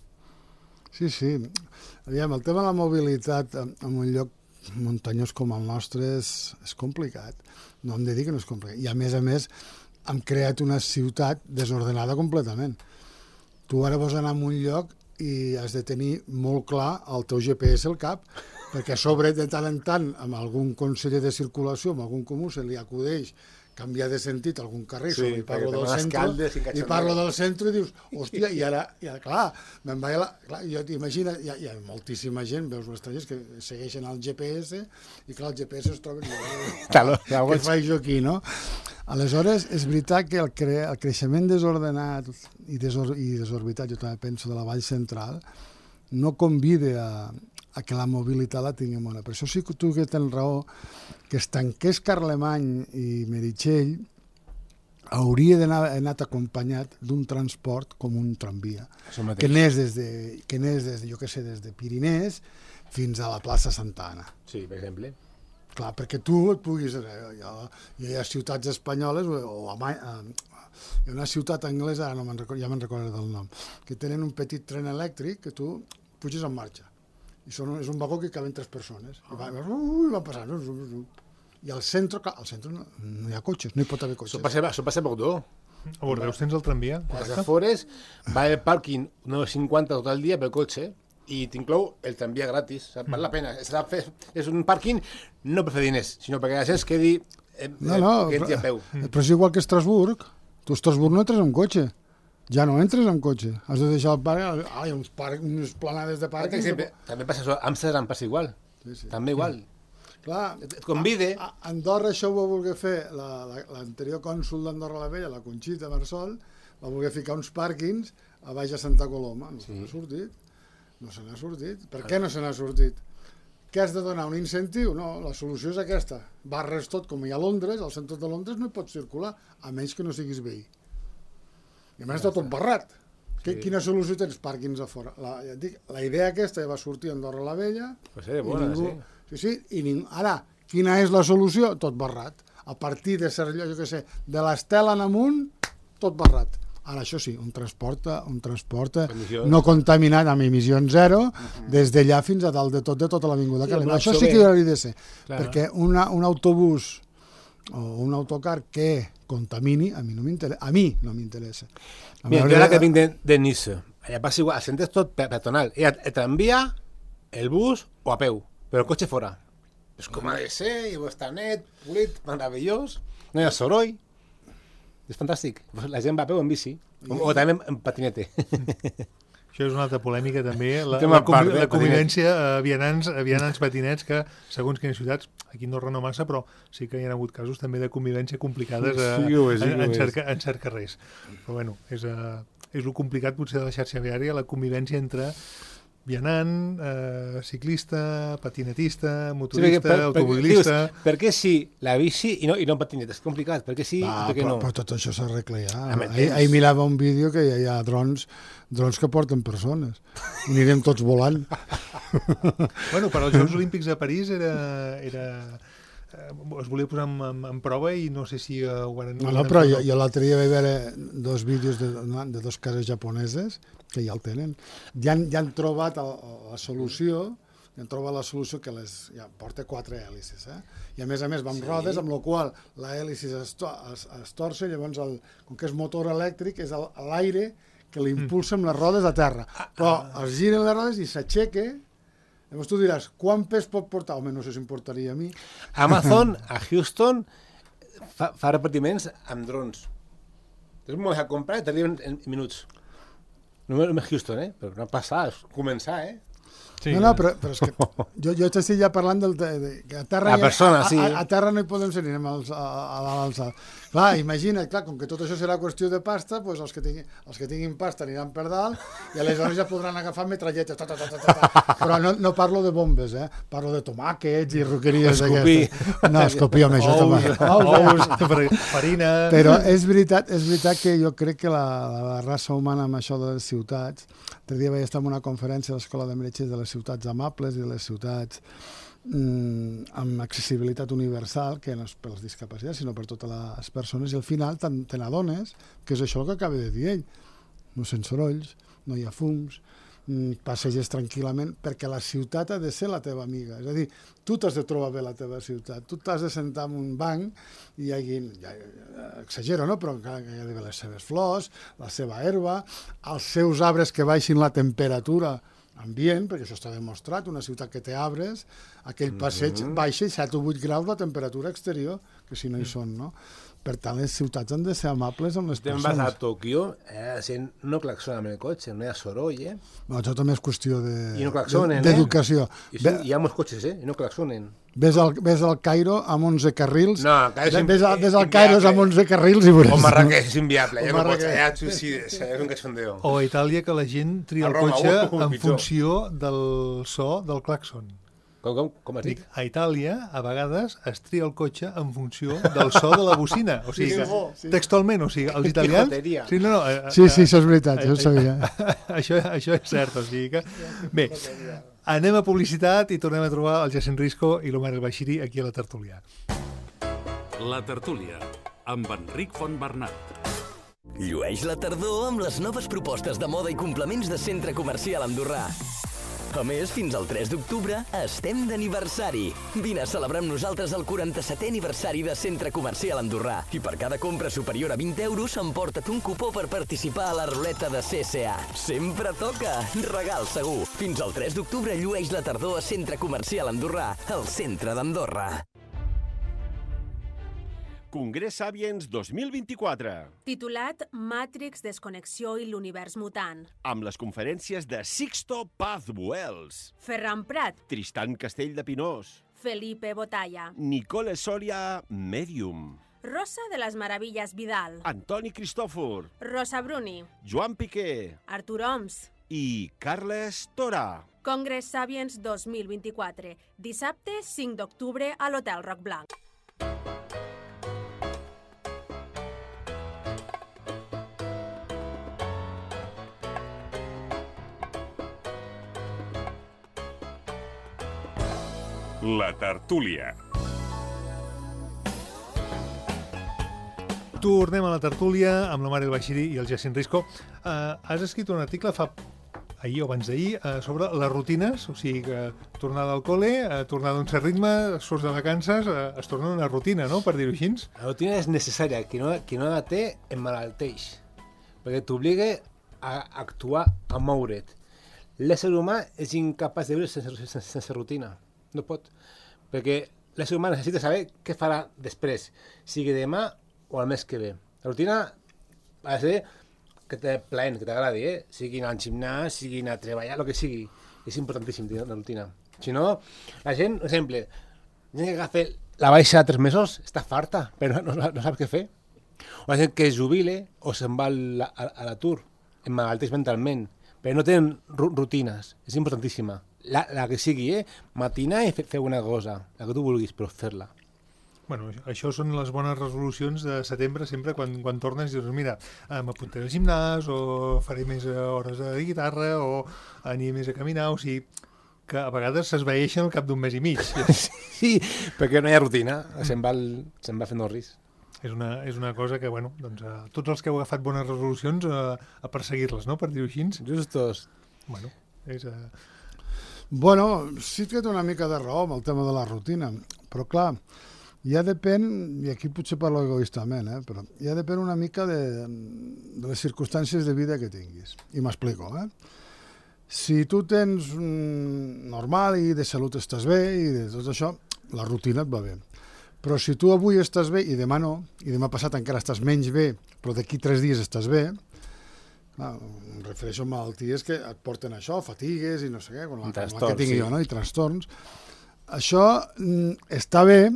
Sí. Aviam, el tema de la mobilitat en un lloc muntanyós com el nostre és complicat. No hem de dir que no és complicat. I a més, hem creat una ciutat desordenada completament. Tu ara vols anar a un lloc i has de tenir molt clar el teu GPS al cap, perquè a sobre de tant en tant amb algun conseller de circulació, amb algun comú, se li acudeix canviar de sentit a algun carrer, sí, i parlo del centre, i dius, hòstia, i ara clar, me'n vaig clar, jo t'imagino, hi ha moltíssima gent, veus les talles que segueixen el GPS, i clar, el GPS es troba què faig jo aquí, no? Aleshores, és veritat que el creixement desordenat i desorbitat, jo també penso, de la Vall Central, no convida a que la mobilitat la tinguem bona. Per això sí que tu que tens raó, que es tanqués Carlemany i Meritxell hauria d'anar anat acompanyat d'un transport com un tramvia, que anés des de, jo què sé, des de Pirinès fins a la plaça Santa Anna. Sí, per exemple. Clar, perquè tu et puguis... Hi ha ciutats espanyoles, o hi ha una ciutat anglesa, ja me'n recordo del nom, que tenen un petit tren elèctric que tu puges en marxa. I és un vagó que caben 3 persones. I van passant. I al centre no hi ha cotxes, no hi pot haver cotxes. Això passa poc d'or. A Bordeus tens el tramvia? A les afores va el pàrquing 9,50 tot el dia pel cotxe i t'inclou el tramvia gratis. Val la pena. És un pàrquing no per fer diners, sinó perquè la gent es quedi a peu. Però és igual que Estrasburg. Tu a Estrasburg no entres amb cotxe. Ja no entres amb cotxe. Has de deixar el parc... Hi ha unes planades de pàrquing... També passa això. Amsterdam passa igual. També igual. Clar, et convide... A Andorra això ho va voler fer l'anterior cònsol d'Andorra la Vella, la Conxita Marsol, va voler ficar uns pàrquings a baix a Santa Coloma. No se n'ha sortit. No se n'ha sortit. Per què no se n'ha sortit? Què has de donar? Un incentiu? No, la solució és aquesta. Barres tot, com hi ha a Londres, al centre de Londres no hi pots circular, a menys que no siguis veí. I a més està tot barrat. Quina solució tens? Pàrquings a fora. La idea aquesta va sortir a Andorra la Vella. Pues era bona, sí. Ara, quina és la solució? Tot barrat. A partir de Cervelló, jo què sé, de l'Estela en amunt, tot barrat. Ara, això sí, un transport no contaminat amb emissions zero, des d'allà fins a dalt de tota l'avinguda Calenda. Això sí que hauria de ser, perquè un autobús o un autocar que contamini, a mi no m'interessa. Mira, jo ara que vinc de Niça, allà passa igual, el centre és tot peatonal. El tramvia, el bus o a peu, però el cotxe fora. És com ha de ser, i està net, polit, meravellós, no hi ha soroll. És fantàstic. La gent va a peu en bici, o també en patinete. Això és una altra polèmica també, la convivència a vianants patinets que, segons quines ciutats, aquí no Andorra no massa, però sí que hi ha hagut casos també de convivència complicades en cert carrers. Però bueno, és el complicat potser de la xarxa viària, la convivència entre vianant, ciclista, patinetista, motorista, automobilista... Per què sí la bici i no patineta? És complicat, per què sí i per què no? Però tot això s'arregla ja. Ahir mirava un vídeo que hi ha drons que porten persones. I anirem tots volant. Bueno, per als Jocs Olímpics de París es volia posar en prova i no sé si ho van... No, però jo l'altre dia vaig veure 2 vídeos de 2 cases japoneses que ja el tenen. Ja han trobat la solució, que porta 4 hèlices, i a més va amb rodes, amb la qual l'hèlice es torça, llavors, com que és motor elèctric, és l'aire que l'impulsa amb les rodes a terra. Però es giren les rodes i s'aixeca. Llavors tu diràs, quan pes pot portar? Home, no sé si em portaria a mi. Amazon, a Houston, fa repartiments amb drons. És molt a comprar i t'arriben en minuts. No és Houston, però no passar, és començar, Sí, no, però és que jo t'estic ja parlant que a terra, a terra no hi podem ser, anem a l'alçada. Clar, imagina't, com que tot això serà qüestió de pasta, doncs els que tinguin pasta aniran per dalt i aleshores ja podran agafar metralletes. Però no parlo de bombes, parlo de tomàquets i roqueries d'aquestes. No, escopir, home, això ous, farina... Però és veritat que jo crec que la raça humana amb això de les ciutats... L'altre dia vaig estar en una conferència a l'Escola de Metges de les ciutats amables i de les ciutats amb accessibilitat universal, que no és per les discapacitats, sinó per totes les persones, i al final te n'adones que és això el que acaba de dir ell. No sent sorolls, no hi ha fums, passeges tranquil·lament, perquè la ciutat ha de ser la teva amiga. És a dir, tu t'has de trobar bé la teva ciutat, tu t'has de sentar en un banc i hi hagi, exagero, no? Però encara que hi ha d'haver les seves flors, la seva herba, els seus arbres que baixin la temperatura ambient, perquè això està demostrat, una ciutat que té arbres, aquell passeig baixa 7 o 8 graus la temperatura exterior, que si no hi són, no? Per tant, les ciutats han de ser amables amb les persones. Te'n vas a Tòquio, no claxona amb el cotxe, no hi ha soroll, No, això també és qüestió d'educació. Hi ha molts cotxes, i no claxonen. Ves al Cairo amb 11 carrils. No, ves al Cairo amb 11 carrils i veuràs. O Marrakeix és inviable, ja no pots, ja et suïcides, és un cachondeo. O a Itàlia, que la gent tria el cotxe en funció del so del claxon. Com has dit? A Itàlia, a vegades, es tria el cotxe en funció del so de la bocina. O sigui, textualment, o sigui, els italians... Sí, això és veritat, això ho sabia. Això és cert, o sigui que... Bé, anem a publicitat i tornem a trobar el Jacint Risco i l'Omar El Baixiri aquí a la tertúlia. La tertúlia, amb Enric Fontbernat. Llueix la tardor amb les noves propostes de moda i complements de Centre Comercial Andorrà. A més, fins al 3 d'octubre estem d'aniversari. Vine a celebrar amb nosaltres el 47è aniversari de Centre Comercial Andorrà. I per cada compra superior a 20 euros emporta't un cupó per participar a la ruleta de CSA. Sempre toca! Regal segur! Fins al 3 d'octubre llueix la tardor a Centre Comercial Andorrà, al centre d'Andorra. Congrés Sapiens 2024. Titulat Matrix, Desconnexió i l'univers mutant. Amb les conferències de Sixto Paz Buells, Ferran Prat, Tristan Castell de Pinós, Felipe Botalla, Nicole Soria, Medium, Rosa de les Meravilles Vidal, Antoni Cristòfor, Rosa Bruni, Joan Piqué Artur Oms i Carles Tora. Congrés Sapiens 2024. Dissabte 5 d'octubre a l'Hotel Roc Blanc. La tertúlia. Tornem a la tertúlia amb l'Omar El Baixiri i el Jacint Risco. Has escrit un article ahir o abans d'ahir sobre les rutines, o sigui que tornada al col·le, tornada a un cert ritme, surts de vacances, es torna una rutina, no?, per dir-ho així. La rutina és necessària, qui no la té emmalalteix, perquè t'obliga a actuar, a moure't. L'ésser humà és incapaç de viure sense rutina. No pot, perquè l'ésser humà necessita saber què farà després, sigui demà o el mes que ve. La rutina ha de ser que t'aplaent, que t'agradi, sigui anar al gimnàs, sigui anar a treballar, el que sigui. És importantíssim tenir la rutina. Si no, la gent, per exemple, la gent que agafa la baixa de 3 mesos està farta, però no sap què fer. O la gent que es jubile o se'n va a l'atur, emmalalteix mentalment, però no tenen rutines. És importantíssima. La que sigui, matinar i fer una cosa, la que tu vulguis, però fer-la. Bueno, això són les bones resolucions de setembre, sempre quan tornes i dius, mira, m'apuntaré al gimnàs, o faré més hores de guitarra, o aniré més a caminar, o sigui, que a vegades s'esvaeixen al cap d'un mes i mig. Sí, perquè no hi ha rutina, se'n va fent el risc. És una cosa que, bueno, doncs, tots els que heu agafat bones resolucions a perseguir-les, no?, per dir-ho així. Justos. Bueno, és... Bueno, sí que té una mica de raó amb el tema de la rutina, però clar, ja depèn, i aquí potser parlo egoistament, però ja depèn una mica de les circumstàncies de vida que tinguis. I m'explico, Si tu tens normal i de salut estàs bé i de tot això, la rutina et va bé. Però si tu avui estàs bé i demà no, i demà passat encara estàs menys bé, però d'aquí 3 dies estàs bé, em refereixo a malalties que et porten això, fatigues i no sé què, com la que tinc jo, no? I trastorns. Això està bé,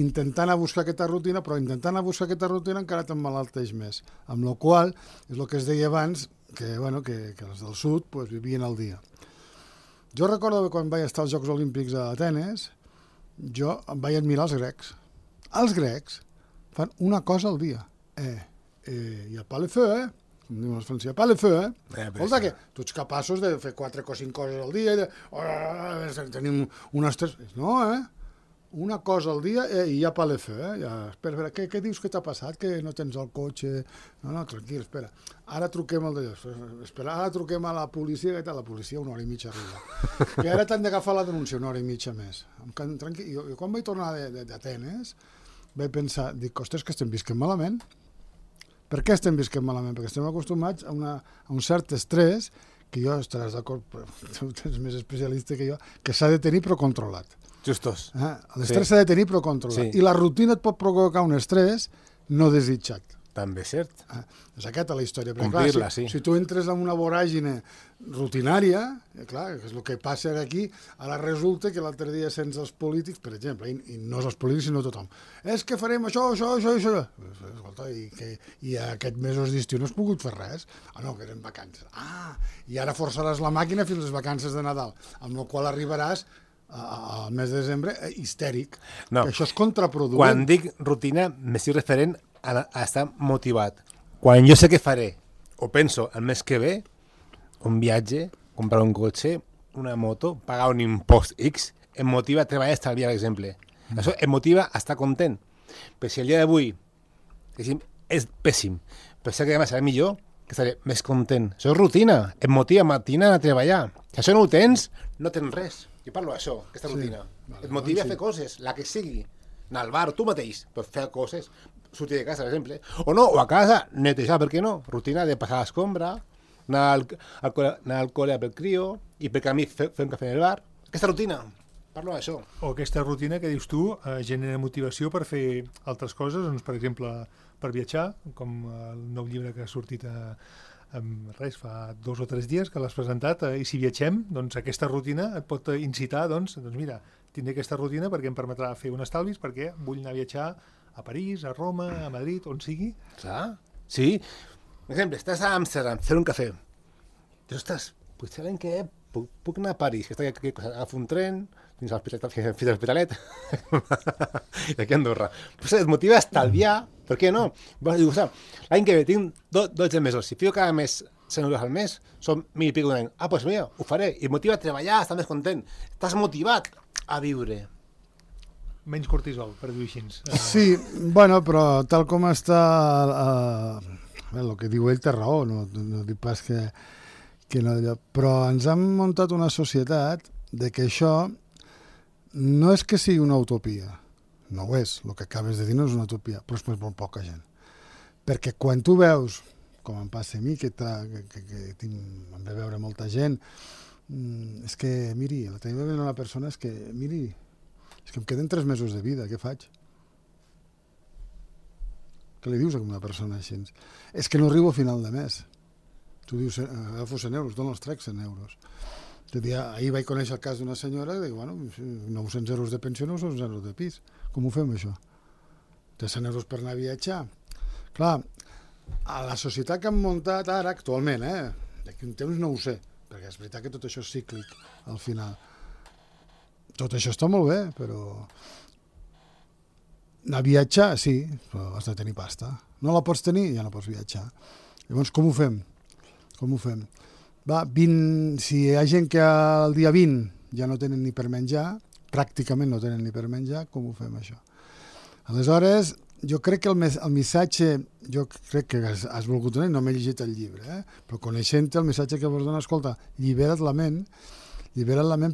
intentant a buscar aquesta rutina, però intentant a buscar aquesta rutina encara t'emmalalteix més. Amb la qual és el que es deia abans, que els del sud vivien al dia. Jo recordo que quan vaig estar als Jocs Olímpics a Atenes, jo em vaig admirar els grecs. Els grecs fan una cosa al dia. I a pas le feu, com diuen els francesos, pas le feu, Escolta, que tu ets capaços de fer 4 o 5 coses al dia, tenim unes 3... No, una cosa al dia i ja pas le feu, Espera, què dius que t'ha passat? Que no tens el cotxe? No, tranquil, espera. Ara truquem al d'allò. Espera, ara truquem a la policia, que la policia 1 hora i mitja arriba. I ara t'han d'agafar la denúncia 1 hora i mitja més. Tranquil. Jo quan vaig tornar d'Atenes vaig pensar, ostres, que estem visquent malament. Per què estem visquent malament? Perquè estem acostumats a un cert estrès, que jo estaràs d'acord, tu ets més especialista que jo, que s'ha de tenir però controlat. Justos. L'estrès s'ha de tenir però controlat. I la rutina et pot provocar un estrès no desitjat. També és cert. És aquesta la història. Complir-la, sí. Si tu entres en una voràgine rutinària, clar, que és el que passa aquí, ara resulta que l'altre dia sents els polítics, per exemple, i no els polítics sinó tothom, és que farem això. Escolta, i aquest mesos d'estiu no has pogut fer res? No, que eren vacances. I ara forçaràs la màquina fins les vacances de Nadal, amb la qual arribaràs al mes de desembre histèric. No. Això és contraproduent. Quan dic rutina, m'estic referent a estar motivat. Quan jo sé què faré, o penso el mes que ve, un viatge, comprar un cotxe, una moto, pagar un impost X, em motiva a treballar i estalviar, per exemple. Això em motiva a estar content. Però si el dia d'avui és pèssim, però sé que demà serà millor, que estaré més content. Això és rutina, em motiva matina a treballar. Si això no ho tens, no tens res. Jo parlo d'això, aquesta rutina. Et motiva a fer coses, la que sigui. Anar al bar, tu mateix, per fer coses. Sortir de casa, per exemple. O no, o a casa, netejar, per què no? Rutina de passar l'escombra, anar al col·le pel crio, i per camí fer un cafè en el bar. Aquesta rutina, parlo d'això. O aquesta rutina que dius tu genera motivació per fer altres coses, doncs, per exemple, per viatjar, com el nou llibre que ha sortit fa 2 o 3 dies que l'has presentat, i si viatgem, doncs aquesta rutina et pot incitar, doncs mira, tindré aquesta rutina perquè em permetrà fer un estalvis, perquè vull anar a viatjar a París, a Roma, a Madrid, on sigui. Clar, sí. Per exemple, estàs a Amsterdam, fer un cafè. Dius, ostres, potser l'any que puc anar a París, que agafo un tren fins a l'Hospitalet, i aquí a Andorra. Pues et motiva a estalviar, per què no? L'any que ve tinc 12 mesos, si fico cada mes 100 euros al mes, són 1.000 i pico d'un any. Doncs mira, ho faré, i et motiva a treballar, a estar més content. Estàs motivat a viure. Menys cortisol, per dir-ho així. Sí, bueno, però tal com està el que diu ell té raó, no dic pas que no, però ens han muntat una societat de que això no és que sigui una utopia, no ho és, el que acabes de dir no és una utopia, però és per molt poca gent. Perquè quan tu veus, com em passa a mi, que em ve veure molta gent, és que, miri, la tenim veient una persona, és que em queden 3 mesos de vida, què faig? Què li dius a una persona així? És que no arribo a final de mes. Tu dius, agafo 100 euros, d'on els trec 100 euros? Ahir vaig conèixer el cas d'una senyora que diu, 900 euros de pensió, 900 euros de pis. Com ho fem, això? Té 100 euros per anar a viatjar. Clar, a la societat que han muntat ara, actualment, d'aquí un temps no ho sé, perquè és veritat que tot això és cíclic, al final. Tot això està molt bé, però anar a viatjar, sí, però has de tenir pasta. No la pots tenir, ja no pots viatjar. Llavors, com ho fem? Si hi ha gent que el dia 20 ja no tenen ni per menjar, pràcticament no tenen ni per menjar, com ho fem, això? Aleshores, jo crec que el missatge, jo crec que has volgut donar, no m'he llegit el llibre, però coneixent el missatge que vols donar, escolta, llibera't la ment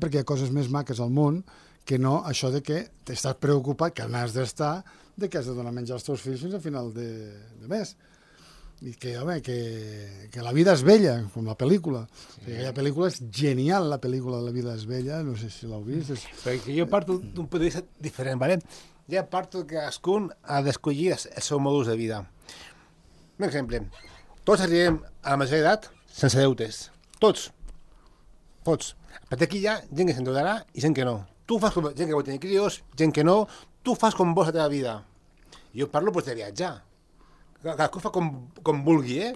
perquè hi ha coses més maques al món que no això de que t'estàs preocupat, que n'has d'estar, de que has de donar menjar als teus fills fins al final de mes. I que, home, que la vida és bella, com la pel·lícula. Sí. Aquella pel·lícula és genial, la pel·lícula de La vida és bella, no sé si l'heu vist. Perquè jo parto d'un punt de vista diferent, ¿vale? Ja parto que cadascun ha d'escollir el seu modus de vida. Un exemple, tots arribem a la major edat sense deutes. Tots. Tots. A partir d'aquí hi ha gent que s'endeutarà i gent que no. Tu fas com gent que vol tenir crios, gent que no. Tu fas com vols la teva vida. Jo parlo pues, de viatjar. Cadascú fa com vulgui,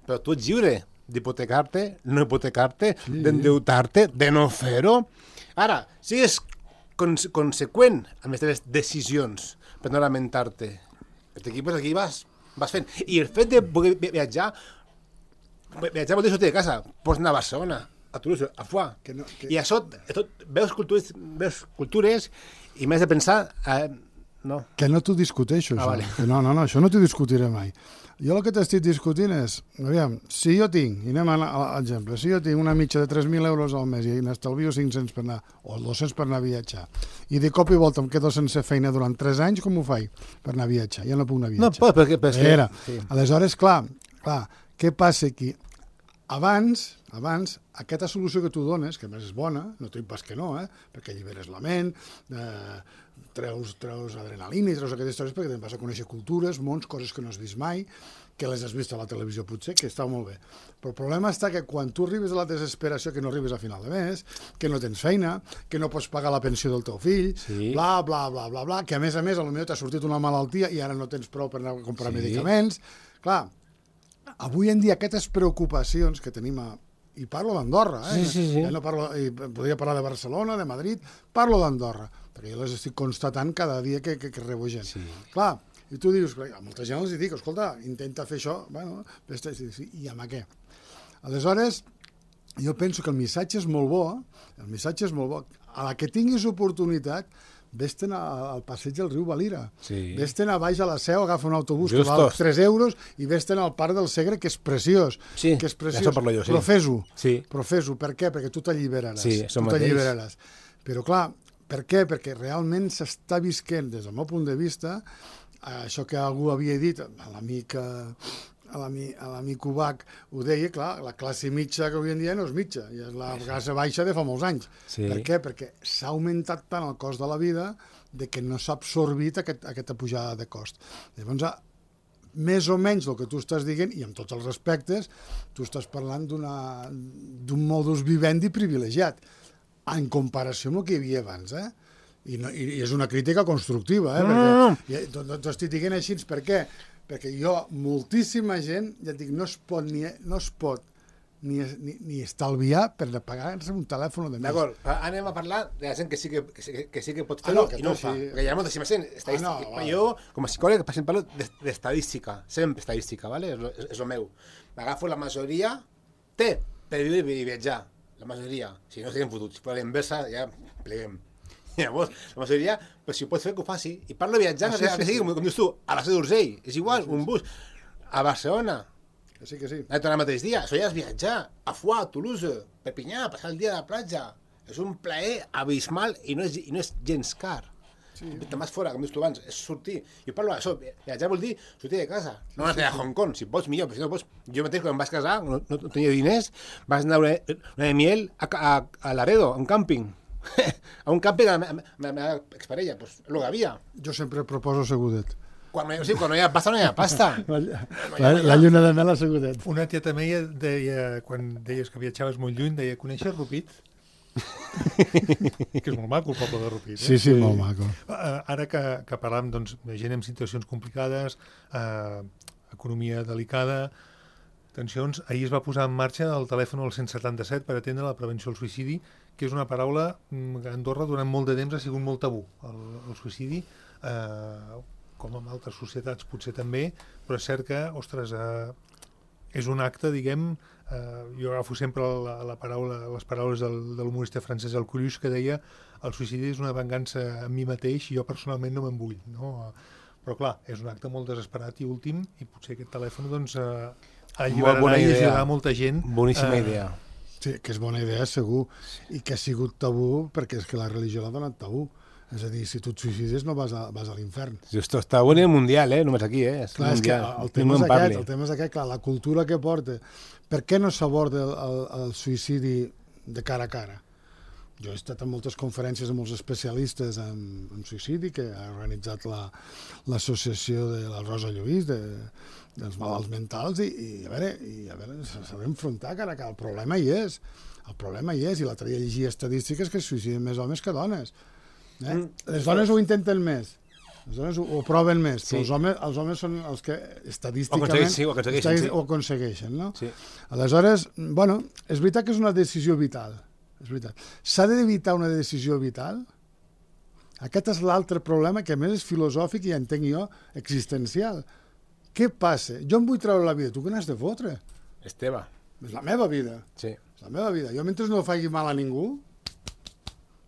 però tu ets lliure d'hipotecar-te, no hipotecar-te, d'endeutar-te, de no fer-ho. Ara, sigues conseqüent amb les teves decisions per no lamentar-te. Aquí vas fent. I el fet de poder viatjar vol dir sortir de casa. Pots anar a Barcelona, a Toulouse, a Foix. I això, veus cultures i m'has de pensar... No. Que no t'ho discuteixo, això. Vale. No, això no t'ho discutiré mai. Jo el que t'estic discutint és, aviam, si jo tinc, i anem a l'exemple, si jo tinc una mitja de 3.000 euros al mes i n'estalvio 500 per anar, o 200 per anar a viatjar, i de cop i volta em quedo sense feina durant 3 anys, com ho faig per anar a viatjar? Ja no puc anar a viatjar. No, perquè... Sí. Aleshores, clar, què passa aquí? Abans, aquesta solució que tu dones, que a més és bona, no t'ho dic pas que no, perquè alliberes la ment, treus adrenalina i treus aquestes històries perquè te'n vas a conèixer cultures, mons, coses que no has vist mai, que les has vist a la televisió potser, que està molt bé. Però el problema està que quan tu arribes a la desesperació, que no arribes a final de mes, que no tens feina, que no pots pagar la pensió del teu fill, bla, bla, bla, bla, bla, que a més, potser t'ha sortit una malaltia i ara no tens prou per anar a comprar medicaments. Clar, avui en dia aquestes preocupacions que tenim i parlo d'Andorra, ja no parlo, podria parlar de Barcelona, de Madrid, parlo d'Andorra, perquè jo les estic constatant cada dia que rebo gent. Clar, i tu dius, a molta gent els dic, escolta, intenta fer això, bueno, i amb què? Aleshores, jo penso que el missatge és molt bo, a la que tinguis oportunitat, vés-te'n al passeig del riu Valira, vés-te'n a baix a la Seu, agafa un autobús que val 3 euros i vés-te'n al Parc del Segre, que és preciós. Sí, això parlo jo, sí. Però fes-ho. Per què? perquè tu t'alliberaràs. Sí, això mateix. Però clar, per què? Perquè realment s'està visquent, des del meu punt de vista, això que algú havia dit, l'amic Ubach ho deia, clar, la classe mitja que avui en dia no és mitja, i és la classe baixa de fa molts anys. Per què? Perquè s'ha augmentat tant el cost de la vida de que no s'ha absorbit aquesta pujada de cost. Llavors, més o menys el que tu estàs dient, i amb tots els respectes, tu estàs parlant d'un modus vivendi privilegiat, en comparació amb el que hi havia abans, I és una crítica constructiva, perquè t'ho estic dient així, per què? Perquè moltíssima gent, ja et dic, no es pot ni estalviar per pagar-se un telèfon de més. D'acord, anem a parlar de la gent que sí que pot fer-ho i no ho fa. Perquè hi ha moltíssima gent estadística. Jo, com a psicòleg, per exemple, parlo d'estadística, sempre estadística, és el meu. M'agafo la majoria, té per viure i viatjar, la majoria. Si no estiguem fotuts, si per la inversa ja pleguem. Llavors, la majoria, si ho pot fer, que ho faci. I parlo de viatjar, com dius tu, a la Seu d'Urgell, és igual, un bus, a Barcelona. Que sí. He tornat el mateix dia, això ja és viatjar, a Foix, a Toulouse, Perpinyà, passar el dia a la platja. És un plaer abismal i no és gens car. Te'n vas fora, com dius tu abans, és sortir. Jo parlo d'això, viatjar vol dir sortir de casa. No vas anar a Hong Kong, si pots millor, però si no pots... Jo mateix, quan em vaig casar, no tenia diners, vas anar a una de miel a Laredo, a un càmping. A un càmping de la meva exparella, doncs el que havia. Jo sempre proposo segudet. Quan no hi ha pasta, no hi ha pasta. La lluna de mel a segudet. Una tieta meva deia, quan deies que viatjaves molt lluny, deia, coneixes Rupit? Que és molt maco el poble de Rupit. Sí, molt maco. Ara que parlàvem de gent en situacions complicades, economia delicada, tensions, ahir es va posar en marxa el telèfon al 177 per atendre la prevenció del suïcidi, que és una paraula que a Andorra durant molt de temps ha sigut molt tabú. El suïcidi, com en altres societats potser també, però és cert que, ostres, és un acte, diguem, jo agafo sempre les paraules de l'humorista francès Alcoulluche, que deia el suïcidi és una vengança a mi mateix i jo personalment no me'n vull, no? Però clar, és un acte molt desesperat i últim, i potser aquest telèfon alliberarà i ajudarà molta gent. Boníssima idea. Sí, que és bona idea, segur, i que ha sigut tabú perquè és que la religió l'ha donat tabú. És a dir, si tu et suïcides no vas a l'infern. Esto està a nivell mundial, només aquí, És clar, és que mundial. el tema és aquest, clar, la cultura que porta. Per què no s'aborda el suïcidi de cara a cara? Jo he estat en moltes conferències amb molts especialistes en suïcidi que ha organitzat l'associació de la Rosa Lluís dels malalts mentals i a veure s'ha d'enfrontar cara a cara. El problema hi és, i l'altre dia llegia estadístiques que es suïciden més homes que dones. Les dones ho intenten més, les dones ho proven més, però els homes són els que estadísticament ho aconsegueixen, no? Sí. Aleshores, bueno, és veritat que és una decisió vital, és veritat. S'ha d'evitar una decisió vital? Aquest és l'altre problema, que a més és filosòfic i entenc jo, existencial. Què passa? Jo em vull treure la vida, tu què n'has de fotre? És teva. És la meva vida. Sí. És la meva vida. Jo mentre no faci mal a ningú,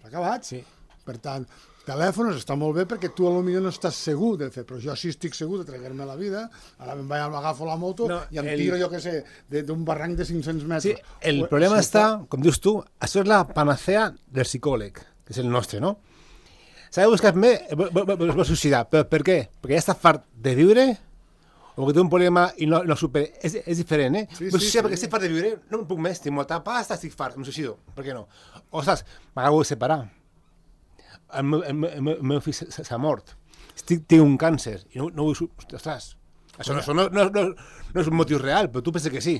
s'ha acabat. Sí. Per tant, telèfons està molt bé perquè tu potser no estàs segur de fer, però jo sí estic segur de treure-me la vida, ara m'agafo la moto i em tiro, jo què sé, d'un barranc de 500 metres. Sí, el problema està, com dius tu, això és la panacea del psicòleg, que és el nostre, no? S'ha de buscar més, es va suïcidar, però per què? Perquè ja està fart de viure o perquè té un problema i no supera. És diferent, Sí, perquè estic fart de viure, no em puc més, tinc molta pasta, estic fart, em suïcido, per què no? O saps, m'acabo de separar. El meu fill s'ha mort. Tinc un càncer i no vull... Ostres, això no és un motiu real, però tu penses que sí.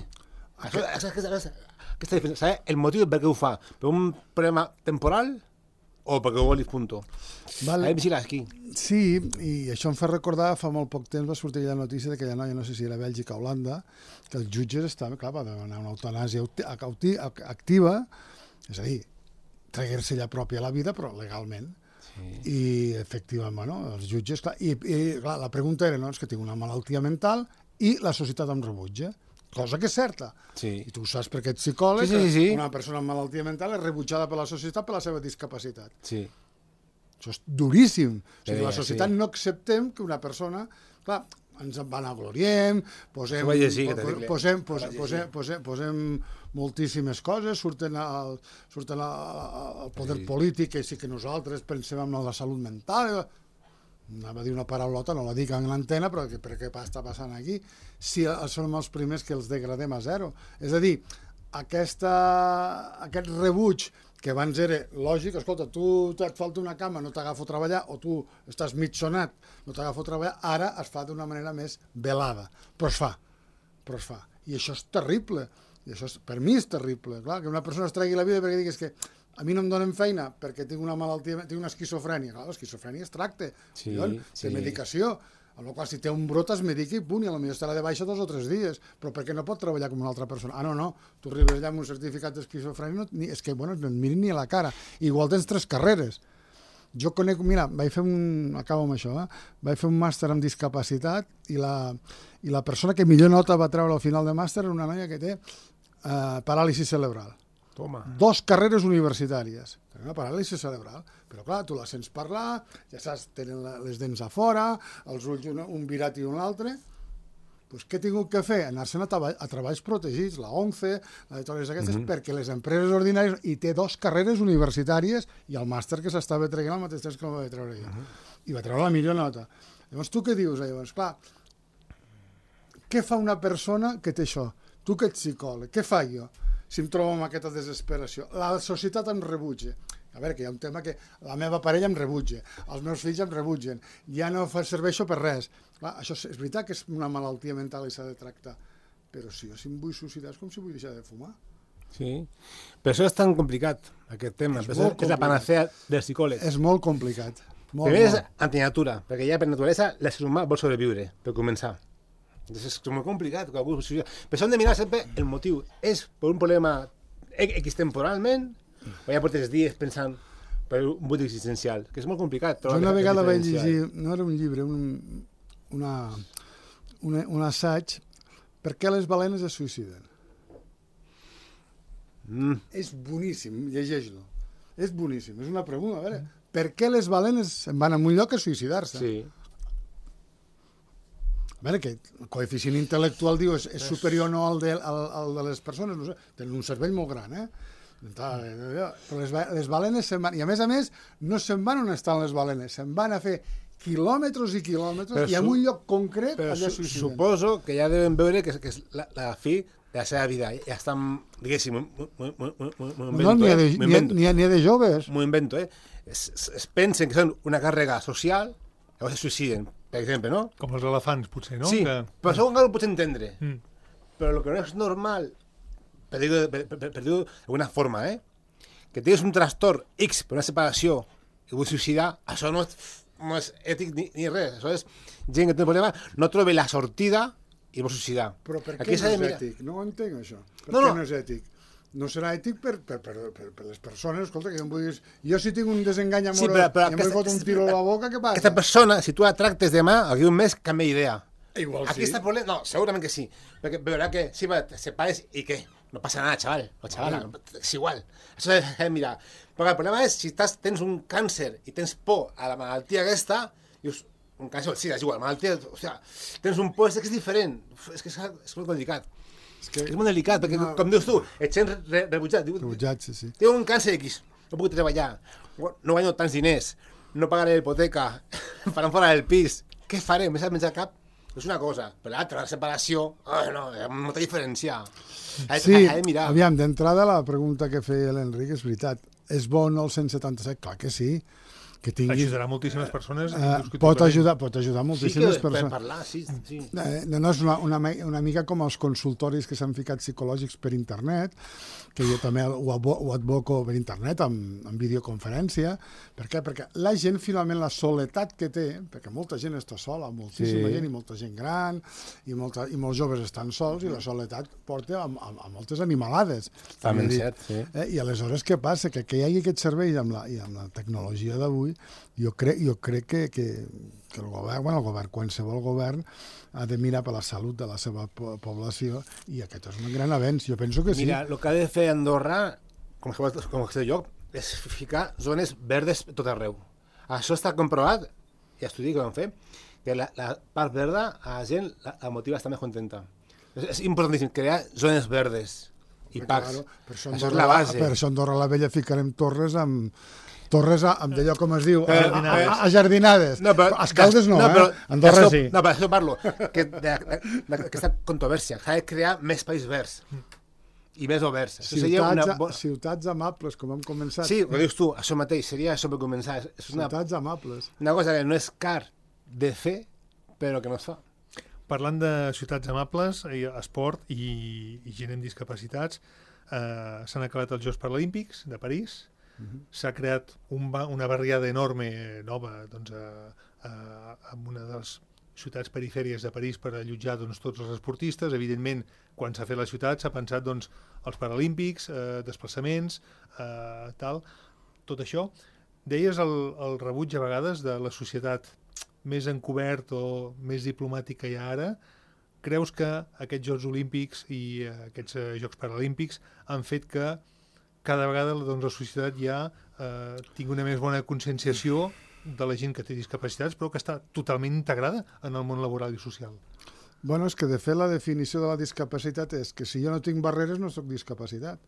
Aquesta diferència, el motiu per què ho fa? Per un problema temporal o perquè ho volis, punto. Vale. Aquí. Sí, i això em fa recordar, fa molt poc temps va sortir la notícia d'aquella noia, no sé si era Bèlgica o Holanda, que els jutges estaven, clar, va demanar una eutanàsia activa, és a dir, traguer-se ella pròpia la vida, però legalment. Sí. I, efectivament, bueno, els jutges... Clar, i clar, la pregunta era, no, és que tinc una malaltia mental i la societat em rebutja. Cosa que és certa. Sí. I tu ho saps perquè ets psicòleg, sí. Una persona amb malaltia mental és rebutjada per la societat per la seva discapacitat. Sí. Això és duríssim. O sigui, la societat no acceptem que una persona... Clar, ens en vanagloriem, posem moltíssimes coses, surten al poder polític, que sí que nosaltres pensem en la salut mental, anava a dir una paraulota, no la dic en l'antena, però per què està passant aquí? Si som els primers que els degradem a zero. És a dir, aquest rebuig que abans era lògic, escolta, tu et falta una cama, no t'agafo a treballar, o tu estàs mig sonat, no t'agafo a treballar, ara es fa d'una manera més velada, però es fa. I això és terrible, i això per mi és terrible, clar, que una persona es tregui la vida perquè diguis que a mi no em donen feina perquè tinc una malaltia, tinc una esquizofrènia. Clar, l'esquizofrènia es tracta, té medicació, amb la qual si té un brot es medica i punt, i potser estarà de baixa 2 o 3 dies, però per què no pot treballar com una altra persona? No, tu arribes allà amb un certificat d'esquizofrènia, és que, bueno, no et mirin ni a la cara. Igual tens 3 carreres. Jo conec, mira, acabo amb això, vaig fer un màster en discapacitat i la persona que millor nota va treure al final de màster era una noia que té paràlisi cerebral. Toma. 2 carreres universitàries. Tenen una paràlisi cerebral. Però clar, tu la sents parlar, ja saps, tenen les dents a fora, els ulls un virat i un altre. Doncs què he tingut que fer? Anar-se'n a treballs protegits, la ONCE, la de totes aquestes, perquè les empreses ordinàries, i té 2 carreres universitàries i el màster que s'estava traient al mateix temps que el vaig treure jo. I va treure la millor nota. Llavors, tu què dius? Llavors, clar, què fa una persona que té això? Tu que ets psicòleg, què fa jo si em trobo amb aquesta desesperació? La societat em rebutja. A veure, que hi ha un tema que la meva parella em rebutja, els meus fills em rebutgen, ja no serveixo per res. Clar, això és veritat que és una malaltia mental i s'ha de tractar, però si jo em vull suïcidar és com si vull deixar de fumar. Sí, per això és tan complicat aquest tema, és la panacea del psicòleg. És molt complicat. Primer és antinatura, perquè ja per naturalesa l'ésser humà vol sobreviure, per començar. És molt complicat. Per això hem de mirar sempre el motiu. És per un problema X temporalment o ja portes dies pensant per un buit existencial, que és molt complicat. Jo una vegada vaig llegir, no era un llibre, un assaig, per què les balenes es suïciden? És boníssim, llegeix-lo. És boníssim, és una pregunta, a veure, per què les balenes van a un lloc a suïcidar-se? Sí. A veure, que el coeficient intel·lectual diu és superior o no al de les persones, no sé, tenen un cervell molt gran, Però les balenes se'n van... I a més, no se'n van on estan les balenes, se'n van a fer quilòmetres i quilòmetres i en un lloc concret allà suïciden. Suposo que ja deuen veure que és la fi de la seva vida. Ja estan, diguéssim, N'hi ha de joves. M'ho invento, es pensen que són una càrrega social, llavors se suïciden, per exemple, no? Com els elefants, potser, no? Sí, però això encara ho pots entendre. Però el que no és normal, per dir-ho d'alguna forma, que tinguis un trastorn X per una separació i vull suïcidar, això no és ètic ni res. Això és gent que té un problema, no troba la sortida i vol suïcidar. Però per què no és ètic? No ho entenc, això. Per què no és ètic? No serà ètic per les persones. Escolta, que jo si tinc un desengany amorós i em vull fotre un tiro a la boca, què passa? Aquesta persona, si tu la tractes demà, aquí un mes canvia idea. Igual Aquí està el problema. No, segurament que sí. Perquè veurà que si te separes i què? No passa nada, chaval. O chavala, és igual. Això és mirar. Però el problema és si tens un càncer i tens por a la malaltia aquesta, dius, un càncer, sí, és igual, malaltia, o sigui, tens un por, és que és diferent. És que és molt delicat. És molt delicat, perquè, com dius tu, et sents rebutjat. Rebutjat, sí. Tinc un càncer X, no puc treballar, no guanyo tants diners, no pagaré l'hipoteca, em faran fora del pis. Què faré? M'he menjar cap? És una cosa, però l'altra, la separació, no, hi ha molta diferència. Sí, aviam, d'entrada la pregunta que feia l'Enric és veritat. És bo el 177? Clar que sí. Que tinguis... Ajudarà moltíssimes persones. Pot ajudar moltíssimes persones. Sí, que parlar, sí. No, és una mica com els consultoris que s'han ficat psicològics per internet, que jo també ho advoco per internet, amb videoconferència. Per què? Perquè la gent, finalment, la soledat que té, perquè molta gent està sola, moltíssima gent, i molta gent gran, i molts joves estan sols, i la soledat porta a moltes animalades. També cert, sí. I aleshores què passa? Que hi hagi aquest servei amb la tecnologia d'avui, jo crec que el govern, qualsevol govern, ha de mirar per la salut de la seva població, i aquest és un gran avenç. Jo penso que sí. Mira, el que ha de fer Andorra, com que lloc, és ficar zones verdes tot arreu. Això està comprovat, i estudi que vam fer, que la part verda a la gent la motiva a estar més contenta. És importantíssim crear zones verdes i parcs. Això és la base. Per això a Andorra la Vella ficarem torres amb d'allò, com es diu, ajardinades. Escaldes no, Andorra sí. No, per això parlo, d'aquesta controvèrsia. S'ha de crear més espais verds i més oberts. Ciutats amables, com hem començat. Sí, ho dius tu, això mateix, seria això per començar. Ciutats amables. Una cosa que no és car de fer, però que no es fa. Parlant de ciutats amables, esport i gent amb discapacitats, s'han acabat els Jocs Paralímpics de París. S'ha creat una barriada enorme nova en una de les ciutats perifèries de París per allotjar tots els esportistes. Evidentment, quan s'ha fet la ciutat s'ha pensat els Paralímpics, desplaçaments, tot això. Deies el rebuig a vegades de la societat més encobert o més diplomàtica hi ha ara. Creus que aquests Jocs Olímpics i aquests Jocs Paralímpics han fet que cada vegada la societat ja tingui una més bona conscienciació de la gent que té discapacitats, però que està totalment integrada en el món laboral i social? Bueno, és que de fet la definició de la discapacitat és que si jo no tinc barreres no soc discapacitat.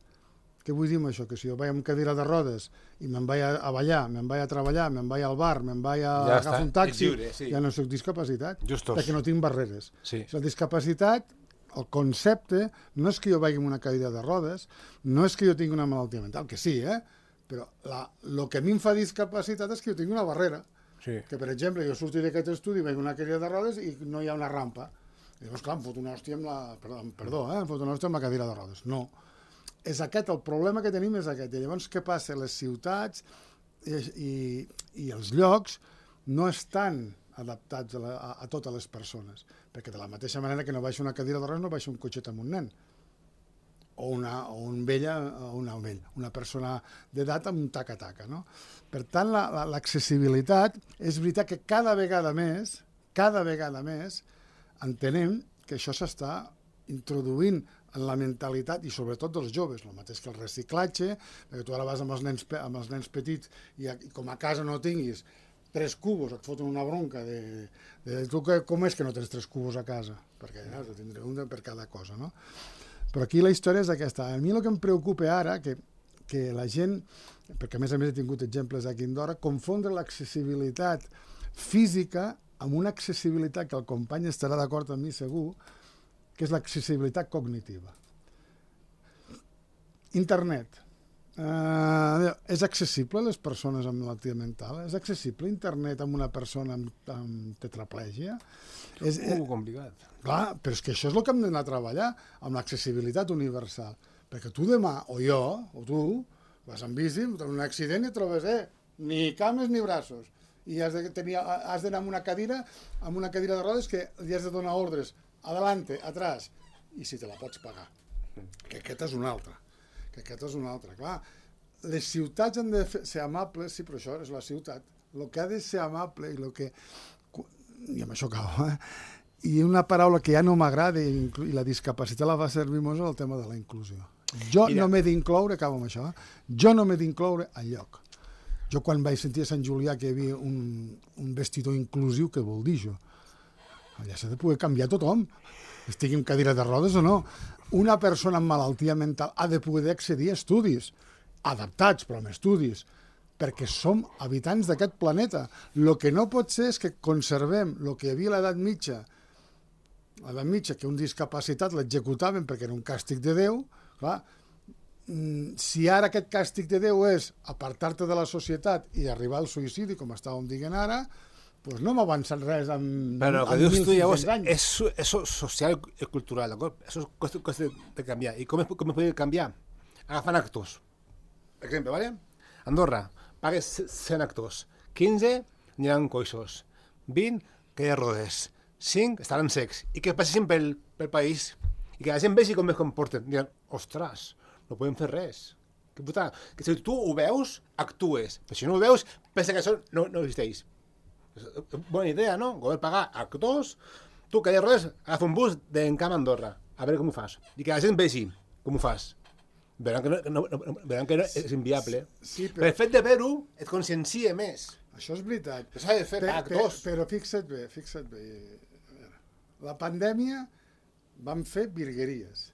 Què vull dir amb això? Que si jo vaig amb cadira de rodes i me'n vaig a ballar, me'n vaig a treballar, me'n vaig al bar, me'n vaig a agafar un taxi, ja no soc discapacitat, perquè no tinc barreres. La discapacitat, el concepte, no és que jo vagi amb una cadira de rodes, no és que jo tingui una malaltia mental, que sí, però el que a mi em fa discapacitat és que jo tinc una barrera. Que, per exemple, jo surto d'aquest estudi, vaig amb una cadira de rodes i no hi ha una rampa. I llavors, clar, em fot una hòstia amb la... em fot una hòstia amb la cadira de rodes. No. És aquest, el problema que tenim és aquest. I llavors, què passa? Les ciutats i els llocs no estan adaptats a totes les persones, perquè de la mateixa manera que no baixa una cadira de rodes no baixa un cotxet amb un nen o una persona d'edat amb un taca-taca, no? Per tant, l'accessibilitat és veritat que cada vegada més entenem que això s'està introduint en la mentalitat i sobretot dels joves, el mateix que el reciclatge, perquè tu ara vas amb els nens petits i com a casa no tinguis 3 cubos, et foten una bronca de tu com és que no tens 3 cubos a casa? Perquè has de tindre un per cada cosa, no? Però aquí la història és aquesta. A mi el que em preocupa ara, que que la gent, perquè a més he tingut exemples aquí a Andorra, confondre l'accessibilitat física amb una accessibilitat que el company estarà d'acord amb mi segur, que és l'accessibilitat cognitiva. Internet. És accessible a les persones amb malaltia mental? És accessible internet amb una persona amb tetraplègia? És complicat. Clar, però és que això és el que hem d'anar a treballar, amb l'accessibilitat universal. Perquè tu demà, o jo, o tu, vas en bici, tens un accident i trobes, ni cames ni braços. I has d'anar amb una cadira de rodes que li has de donar ordres, adelante, atrás, i si te la pots pagar. Que aquesta és una altra. Clar, les ciutats han de ser amables, sí, però això és la ciutat. El que ha de ser amable i amb això acabo, i una paraula que ja no m'agrada i la discapacitat la va servir molt, és el tema de la inclusió. Jo no m'he d'incloure, acabo amb això, jo no m'he d'incloure enlloc. Jo quan vaig sentir a Sant Julià que hi havia un vestidor inclusiu, què vol dir això? Allà s'ha de poder canviar tothom, estigui en cadira de rodes o no. Una persona amb malaltia mental ha de poder accedir a estudis, adaptats, però amb estudis, perquè som habitants d'aquest planeta. El que no pot ser és que conservem el que hi havia a l'edat mitja, que un discapacitat l'executaven perquè era un càstig de Déu. Clar, si ara aquest càstig de Déu és apartar-te de la societat i arribar al suïcidi, com estàvem dient ara, doncs no hem avançat res en 1.500 anys. És social i cultural, d'acord? Això és qüestió de canviar. I com es podria canviar? Agafant actors. Per exemple, ¿vale? Andorra, pagues 100 actors. 15 aniran coixos. 20 que hi ha rodes. 5 estaran secs. I que passessin pel país. I que la gent vegi com es comporten. Diran, ostres, no podem fer res. Que puta, que si tu ho veus, actues. Però si no ho veus, pensa que això no existeix. Bona idea, no? Poder pagar actors, tu que hi ha rodes, agafa un bus d'Encamp a Andorra, a veure com ho fas. I que la gent vegi com ho fas. Veuran que és inviable. Sí, però el fet de ver-ho et consciencia més. Això és veritat. Això s'ha de fer actors. Però fixa't bé. La pandèmia vam fer virgueries.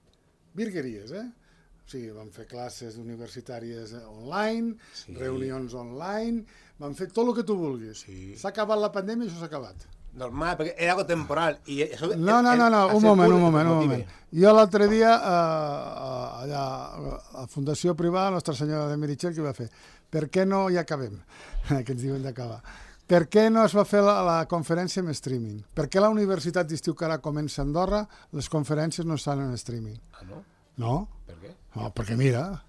O sigui, vam fer classes universitàries online, reunions online, vam fer tot el que tu vulguis. S'ha acabat la pandèmia i això s'ha acabat. Normal, perquè era algo temporal. I això no, un moment. Jo l'altre dia, allà, a Fundació Privada, Nostra Senyora de Meritxell, què va fer? Per què no, ja acabem, que ens diuen d'acabar. Per què no es va fer la conferència en streaming? Per què la Universitat d'Estiu que ara comença a Andorra, les conferències no estan en streaming? Ah, no? No. Per què? No, perquè mira,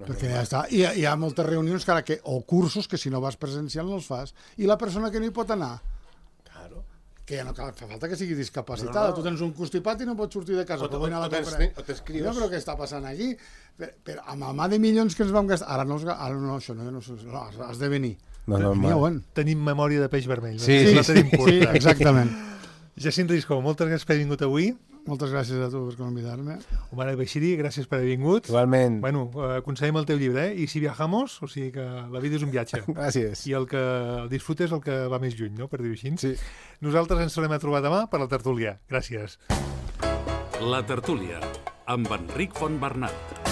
perquè ja està. Hi ha moltes reunions o cursos que si no vas presencial no els fas. I la persona que no hi pot anar? Claro. Que ja no fa falta que sigui discapacitada. Tu tens un constipat i no pots sortir de casa. O t'escrius. No, però què està passant aquí? Però amb el mà de milions que ens vam gastar... Ara no, això no, has de venir. Tenim memòria de peix vermell. Sí, exactament. Jacint Risco, moltes gràcies per haver vingut avui. Moltes gràcies a tu per convidar-me. Omar Beixiri, gràcies per haver vingut. Igualment. Bueno, aconsellem el teu llibre, I si viajamos, o sigui que la vida és un viatge. Gràcies. I el que el disfrutes és el que va més lluny, no?, per dir-ho així. Sí. Nosaltres ens tornem a trobar demà per la tertúlia. Gràcies. La tertúlia, amb Enric Fontbernat.